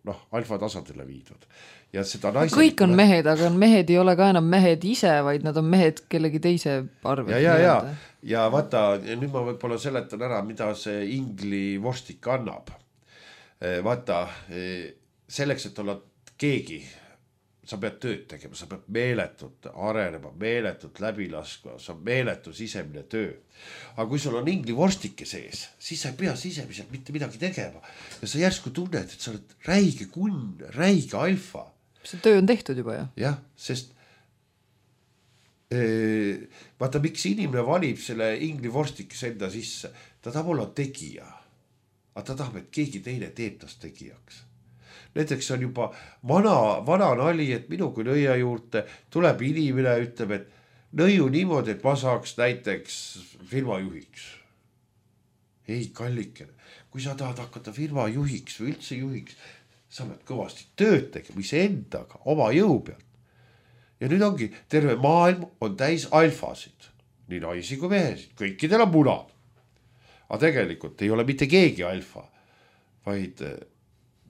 noh, alfa tasandile viidud. Ja seda naisel... kõik on mehed, aga mehed ei ole ka enam mehed ise, vaid nad on mehed kellegi teise arvel. Ja, ja, ja. ja vaata, nüüd ma võib-olla seletan ära, mida see ingli vorstik annab. Vaata, selleks, et olla keegi, sa pead tööd tegema, sa pead meeletult arenema, meeletult läbi laskma, sa meeletu sisemine töö. Aga kui sul on ingli vorstike sees, siis sa ei pea sisemiselt mitte midagi tegema. Ja sa järsku tunned, et sa oled räige kunn, räige alfa. See töö on tehtud juba, jah? Jah, sest ee, vaata, miks inimene valib selle ingli vorstikes enda sisse, ta tahab olla tegija, aga ta tahab, et keegi teine teeb tast tegijaks. Näiteks on juba vana, vana nali, et minu kui nõia juurde tuleb inimene, ütleb, et nõiu niimoodi, et ma saaks näiteks firma juhiks. Ei, kallikene, kui sa tahad hakata firma juhiks või üldse juhiks, sa pead kõvasti tööd tegema iseendaga, oma jõu pealt. Ja nüüd ongi, terve maailm on täis alfasid, nii naisi kui mehesid, kõikidel on munad. Aga tegelikult ei ole mitte keegi alfa, vaid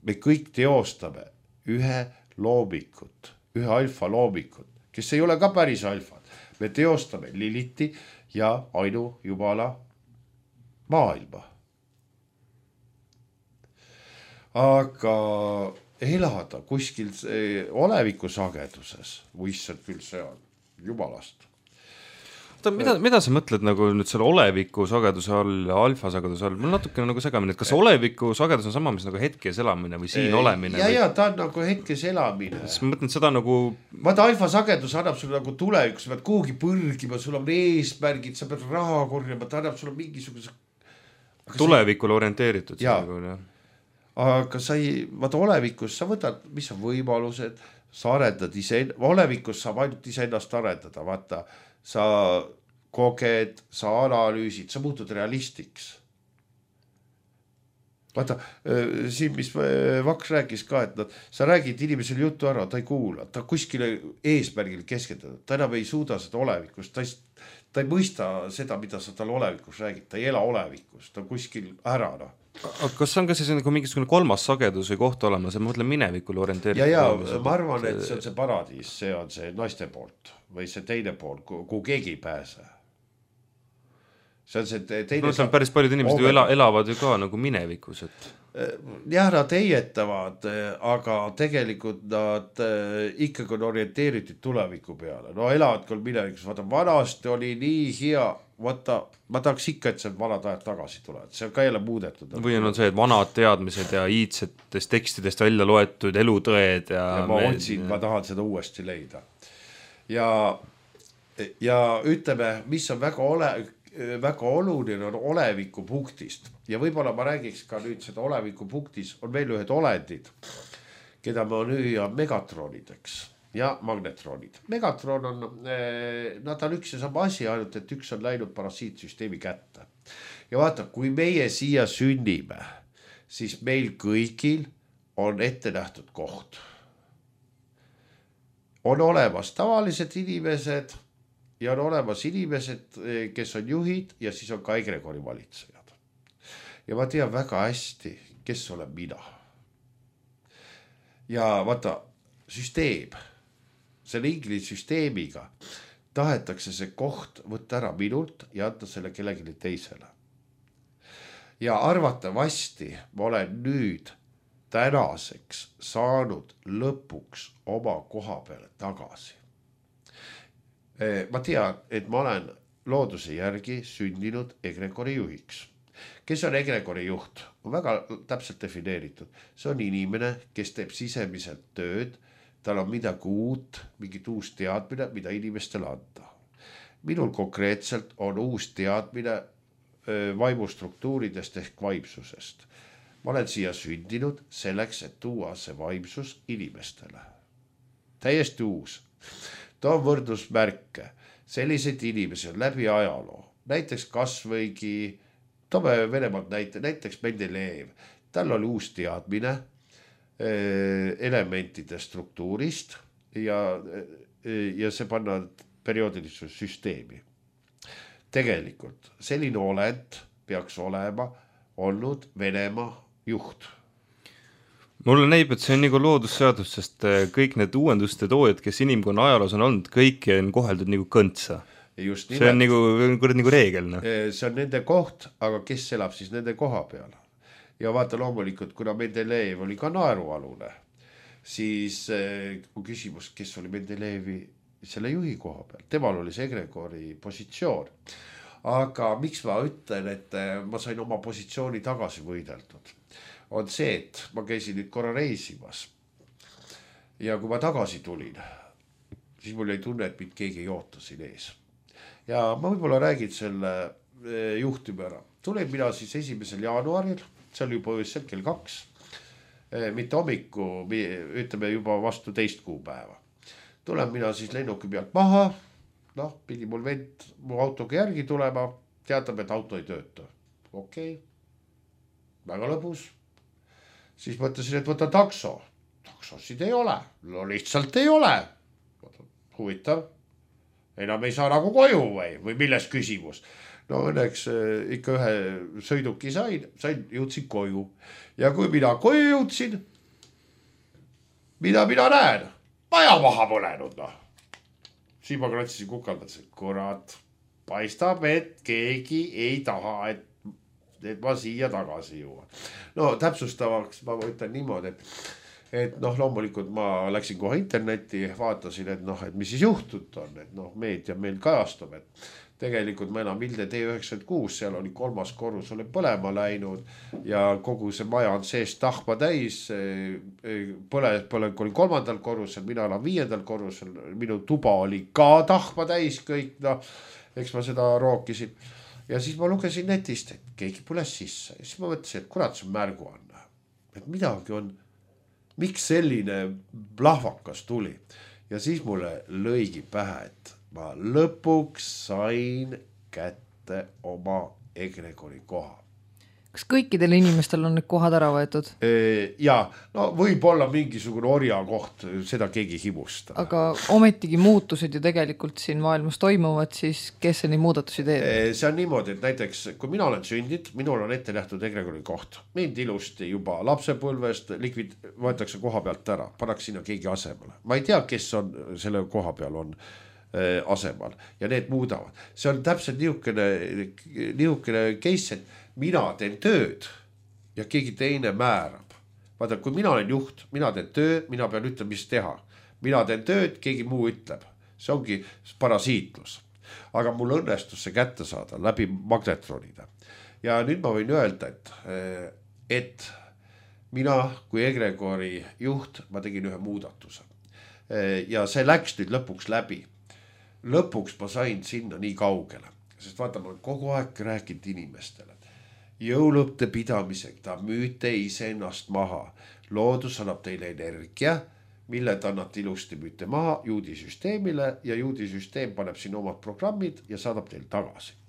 me kõik teostame ühe loomikut, ühe alfa loomikut, kes ei ole ka päris alfad. Me teostame Liliti ja ainu jumala maailma. Aga elada kuskil oleviku sageduses, või issand küll see on jumalast. Ta, mida, mida sa mõtled nagu nüüd selle oleviku sageduse all ja alfa sageduse all? Mul natuke nagu segamine, et kas oleviku sagedus on sama, mis nagu hetkes elamine või siin olemine? Ja, või... ja ta on nagu hetkes elamine. Siis ma mõtlen seda nagu... Vaata, alfa sagedus annab sulle nagu tuleviku, sa pead kuhugi põrgima, sul on eesmärgid, sa pead raha korjama, ta annab sulle mingisuguse... Tulevikule orienteeritud. Ja. Nagu, ja. Aga sa ei, vaata olevikus sa võtad, mis on võimalused, sa arendad ise, olevikus saab ainult ise ennast arendada, vaata, sa koged, sa analüüsid, sa muutud realistiks. Vaata, siin, mis Vaks rääkis ka, et nad, sa räägid inimesele jutu ära, ta ei kuula, ta kuskile eesmärgil keskendunud, ta enam ei suuda seda olevikust, ta ei, ta ei mõista seda, mida sa tal olevikus räägid, ta ei ela olevikus, ta kuskil ära, noh. Aga kas on ka siis nagu mingisugune kolmas sagedus või koht olema, see mõtlen minevikule orienteeritud? Ja, ja, ma arvan, et see on see paradiis, see on see naiste poolt või see teine pool, kuhu keegi ei pääse. See on see teine... No, see on päris paljud inimesed ju ela, elavad ju ka nagu minevikus, et... Jah, nad heietavad, aga tegelikult nad ikkagi on orienteeritud tuleviku peale. No elavad küll minevikus, vaata, vanasti oli nii hea, vaata, ma tahaks ikka, et see vanad ajad tagasi tulevad, see on ka jälle muudetud. Või on see, et vanad teadmised ja iidsetest tekstidest välja loetud elutõed ja... ja ma otsin, ma tahan seda uuesti leida. Ja, ja ütleme, mis on väga ole... väga oluline on oleviku punktist ja võib-olla ma räägiks ka nüüd seda oleviku punktis on veel ühed olendid, keda ma nüüan megatronideks ja magnetronid. Megatron on, nad on üks ja sama asi, ainult et üks on läinud parasiitsüsteemi kätte. Ja vaata, kui meie siia sünnime, siis meil kõigil on ette nähtud koht. On olemas tavalised inimesed, ja on olemas inimesed, kes on juhid ja siis on ka egregori valitsejad. Ja ma tean väga hästi, kes olen mina. Ja vaata, süsteem, selle ingli süsteemiga tahetakse see koht võtta ära minult ja anda selle kellelegi teisele. Ja arvatavasti ma olen nüüd tänaseks saanud lõpuks oma koha peale tagasi. Ma tean, et ma olen looduse järgi sündinud egregori juhiks. Kes on egregori juht? On väga täpselt defineeritud. See on inimene, kes teeb sisemiselt tööd, tal on midagi uut, mingit uus teadmine, mida inimestele anda. minul konkreetselt on uus teadmine vaimustruktuuridest ehk vaimsusest. Ma olen siia sündinud selleks, et tuua see vaimsus inimestele. Täiesti uus. Too võrdusmärke. Selliseid inimesi on läbi ajaloo. Näiteks kas võigi, toome Venemaalt näite, näiteks Mendelejev. Tal oli uus teadmine elementide struktuurist ja, ja see panna perioodilisuse süsteemi. Tegelikult selline olend peaks olema olnud Venemaa juht. Mulle näib, et see on nagu loodusseadus, sest kõik need uuenduste toojad, kes inimkonna ajaloos on olnud, kõiki on koheldud nagu kõntsa. Just see on nagu, nagu reegel. No? See on nende koht, aga kes elab siis nende koha peal? Ja vaata loomulikult, kuna Mendelejev oli ka naerualune, siis kui küsimus, kes oli Mendelejevi selle juhi koha peal, temal oli see egregori positsioon. Aga miks ma ütlen, et ma sain oma positsiooni tagasi võideldud, on see, et ma käisin nüüd korra reisimas ja kui ma tagasi tulin, siis mul ei tunne, et mind keegi ei oota siin ees. Ja ma võib-olla räägin selle juhtumi ära. Tulin mina siis esimesel jaanuaril, see oli juba öösel kell kaks, mitte hommiku, ütleme juba vastu teist kuupäeva. Tulen mina siis lennuki pealt maha, noh, pidi mul vend mu autoga järgi tulema, teatab, et auto ei tööta. Okei, väga lõbus. Siis mõtlesin, et võta takso. Taksosid ei ole, no lihtsalt ei ole. Huvitav, enam ei saa nagu koju või, või milles küsimus. No õnneks ikka ühe sõiduki sain, sain, jõudsin koju. Ja kui mina koju jõudsin, mida mina näen? Maja maha põlenud, noh. Siis ma kratsisin kukaldasin, kurat, paistab, et keegi ei taha, et, et ma siia tagasi juua. No täpsustavaks ma võtan niimoodi, et, et noh, loomulikult ma läksin kohe internetti, vaatasin, et noh, et mis siis juhtut on, et noh, meedia meil kajastub, et tegelikult ma enam Vilde T üheksakümmend kuus, seal oli kolmas korrus, oli põlema läinud ja kogu see maja on sees tahma täis. Põle, põle oli kolmandal korrusel, mina olen viiendal korrusel, minu tuba oli ka tahma täis kõik, noh, eks ma seda rookisin. Ja siis ma lugesin netist, et keegi põles sisse ja siis ma mõtlesin, et kurat, see on märguanne, et midagi on, miks selline plahvakas tuli ja siis mulle lõigi pähe, et ma lõpuks sain kätte oma egregori koha. Kas kõikidel inimestel on need kohad ära võetud? Ja, no võib olla mingisugune orja koht, seda keegi himusta. Aga ometigi muutused ju tegelikult siin maailmas toimuvad, siis kes see neid muudatusi teeb? See on niimoodi, et näiteks kui mina olen sündid, minul on ette nähtud egregori koht. Mind ilusti juba lapsepõlvest likvid võetakse koha pealt ära, pannakse sinna keegi asemele. Ma ei tea, kes on selle koha peal on asemal ja need muudavad. See on täpselt niisugune, niisugune case, et mina teen tööd ja keegi teine määrab. Vaata, kui mina olen juht, mina teen töö, mina pean ütlema, mis teha. Mina teen tööd, keegi muu ütleb. See ongi parasiitlus. Aga mul õnnestus see kätte saada läbi magnetronide. Ja nüüd ma võin öelda, et, et mina kui egregori juht, ma tegin ühe muudatuse. Ja see läks nüüd lõpuks läbi. Lõpuks ma sain sinna nii kaugele, sest vaata, ma olen kogu aeg rääkinud inimestele. Jõulõpte pidamisega, ta müüte ise ennast maha. Loodus annab teile energia, mille ta annab ilusti müüte maha juudisüsteemile ja juudisüsteem paneb siin omad programmid ja saadab teil tagasi.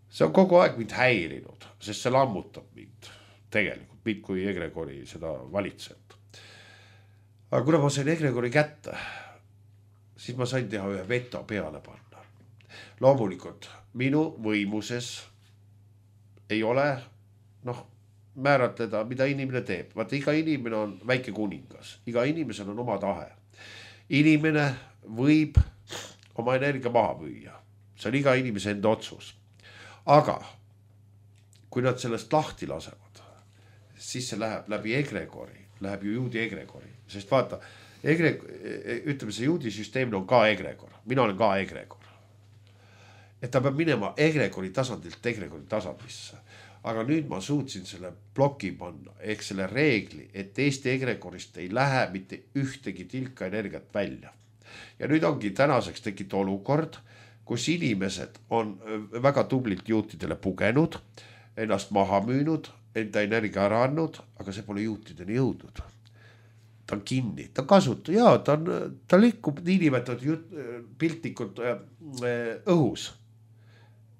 See on kogu aeg mind häirinud, sest see lammutab mind tegelikult, mind kui egregori seda valitsejat. Aga kuna ma sain egregori kätte, siis ma sain teha ühe veto peale panna. Loomulikult minu võimuses ei ole, noh, määratleda, mida inimene teeb. Vaata, iga inimene on väike kuningas. Iga inimesel on oma tahe. Inimene võib oma energia maha müüa. See on iga inimese enda otsus. Aga kui nad sellest lahti lasevad, siis see läheb läbi egregori, läheb ju juudi egregori. Sest vaata, Egreg, ütleme, see juudisüsteemil on ka egregor. Mina olen ka egregor. Et ta peab minema egregori tasandilt egregori tasandisse. Aga nüüd ma suutsin selle ploki panna, ehk selle reegli, et Eesti egregorist ei lähe mitte ühtegi tilka energiat välja. ja nüüd ongi tänaseks tekkinud olukord, kus inimesed on väga tublilt juutidele pugenud, ennast maha müünud, enda energia ära andnud, aga see pole juutideni jõudnud. Ta on kinni, ta kasutab, jaa, ta, on, ta liikub niinimetatud piltlikult õhus.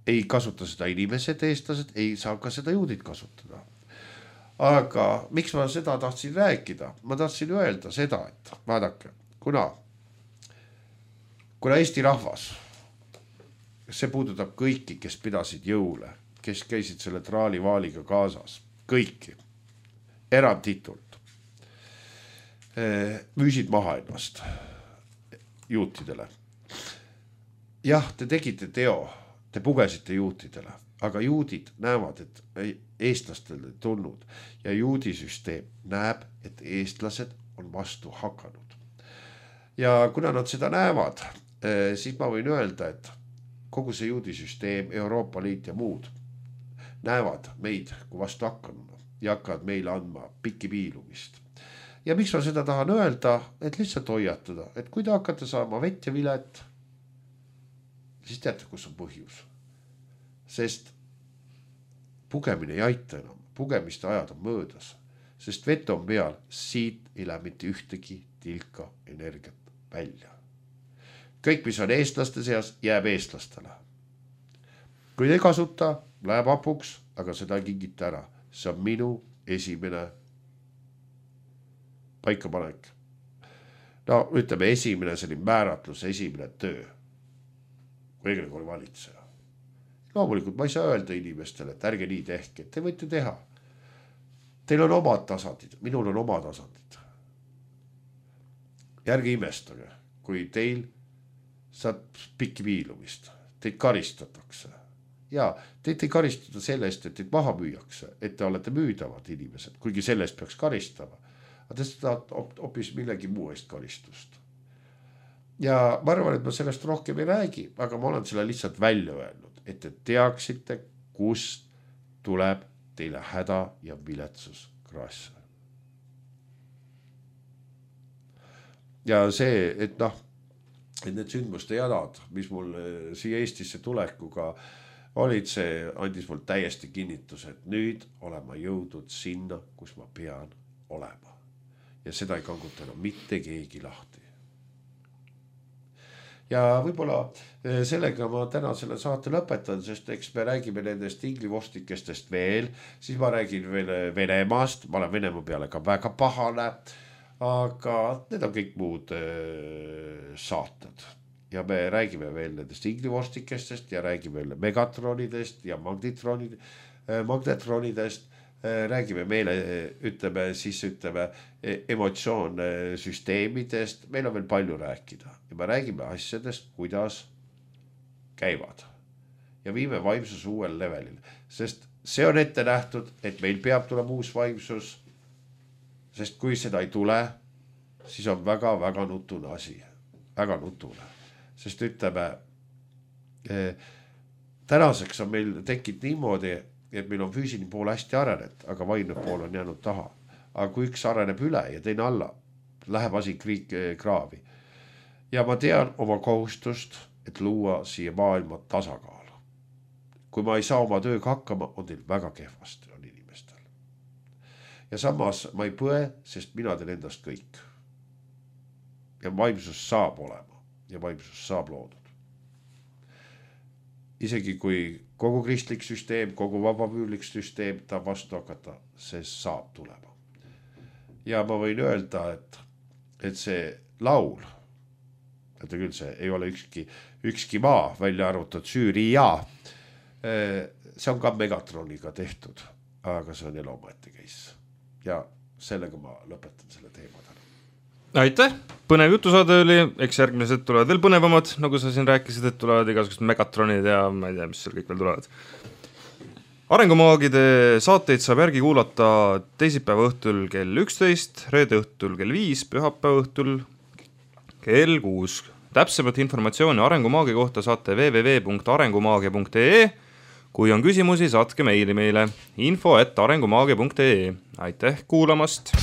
Ei kasuta seda inimesed, eestlased, ei saa ka seda juudid kasutada. Aga miks ma seda tahtsin rääkida? Ma tahtsin öelda seda, et vaadake, kuna, kuna Eesti rahvas, see puudutab kõiki, kes pidasid jõule, kes käisid selle traalivaaliga kaasas, kõiki, erandtitult, müüsid maha ennast juutidele. Jah, te tegite teo, te pugesite juutidele, aga juudid näevad, et eestlastele tulnud ja juudisüsteem näeb, et eestlased on vastu hakanud. Ja kuna nad seda näevad, siis ma võin öelda, et kogu see juudisüsteem, Euroopa Liit ja muud näevad meid kui vastu hakanud ja hakkavad meile andma pikki piilumist. Ja miks ma seda tahan öelda, et lihtsalt hoiatada, et kui te hakkate saama vett ja vilet, siis teate, kus on põhjus. Sest pugemine ei aita enam, pugemiste ajad on möödas, sest vett on peal, siit ei lähe mitte ühtegi tilka energiat välja. Kõik, mis on eestlaste seas, jääb eestlastele. Kui ei kasuta, läheb apuks, aga seda ei kingita ära. See on minu esimene paikapanek. No ütleme esimene selline määratlus, esimene töö. Kui Egregori valitseja. Loomulikult ma ei saa öelda inimestele, et ärge nii tehke, te võite teha. Teil on omad tasandid, minul on omad tasandid. Ja ärge imestage, kui teil saad pikki viilumist, teid karistatakse. Ja teid ei karistada sellest, et teid maha müüakse, et te olete müüdavad inimesed, kuigi sellest peaks karistama. Aga te saad hoopis millegi muu eest karistust. Ja ma arvan, et ma sellest rohkem ei räägi, aga ma olen selle lihtsalt välja öelnud, et te teaksite, kust tuleb teile häda ja viletsus kraasse. Ja see, et noh, et need sündmuste jadad, mis mul siia Eestisse tulekuga olid, see andis mul täiesti kinnitus, et nüüd olen ma jõudnud sinna, kus ma pean olema. Ja seda ei kanguta enam mitte keegi lahti. Ja võib-olla sellega ma täna selle saate lõpetan, sest eks me räägime nendest inglivostikestest veel, siis ma räägin veel Venemaast, ma olen Venemaa peale ka väga pahane, aga need on kõik muud saated. Ja me räägime veel nendest inglivostikestest ja räägime veel megatronidest ja magnetronidest. Räägime meile, ütleme, siis ütleme emotsioonsüsteemidest. Meil on veel palju rääkida. Ja me räägime asjadest, kuidas käivad. Ja viime vaimsus uuel levelil. Sest see on ette nähtud, et meil peab tulema uus vaimsus. Sest kui seda ei tule, siis on väga-väga nutune asi. Väga nutune. Sest ütleme, eh, tänaseks on meil tekkinud niimoodi, et meil on füüsiline pool hästi arenet, aga vaimne pool on jäänud taha. Aga kui üks areneb üle ja teine alla, läheb asi kriik, kraavi. Ja ma tean oma kohustust, et luua siia maailma tasakaalu. Kui ma ei saa oma tööga hakkama, on teil väga kehvasti on inimestel. Ja samas ma ei põe, sest mina teen endast kõik. Ja vaimsus saab olema ja vaimsus saab loodud. Isegi kui kogu kristlik süsteem, kogu vabapüülik süsteem ta vastu hakata, see saab tulema. Ja ma võin öelda, et, et see laul, et küll see ei ole ükski, ükski maa välja arvutud Süüria, see on ka Megatroniga tehtud, aga see on elomaete case. Ja sellega ma lõpetan selle teema täna. Aitäh, põnev jutusaade oli, eks järgmised tulevad veel põnevamad, nagu sa siin rääkisid, et tulevad igasugused megatronid ja ma ei tea, mis seal kõik veel tulevad. Arengumaagide saateid saab järgi kuulata teisipäeva õhtul kell üksteist, reede õhtul kell viis, pühapäeva õhtul kell kuus. Täpsemat informatsiooni Arengumaagi kohta saate w w w punkt arengumaagia punkt e e. Kui on küsimusi, saatke meili meile info et arengumaagia punkt e e. Aitäh kuulamast!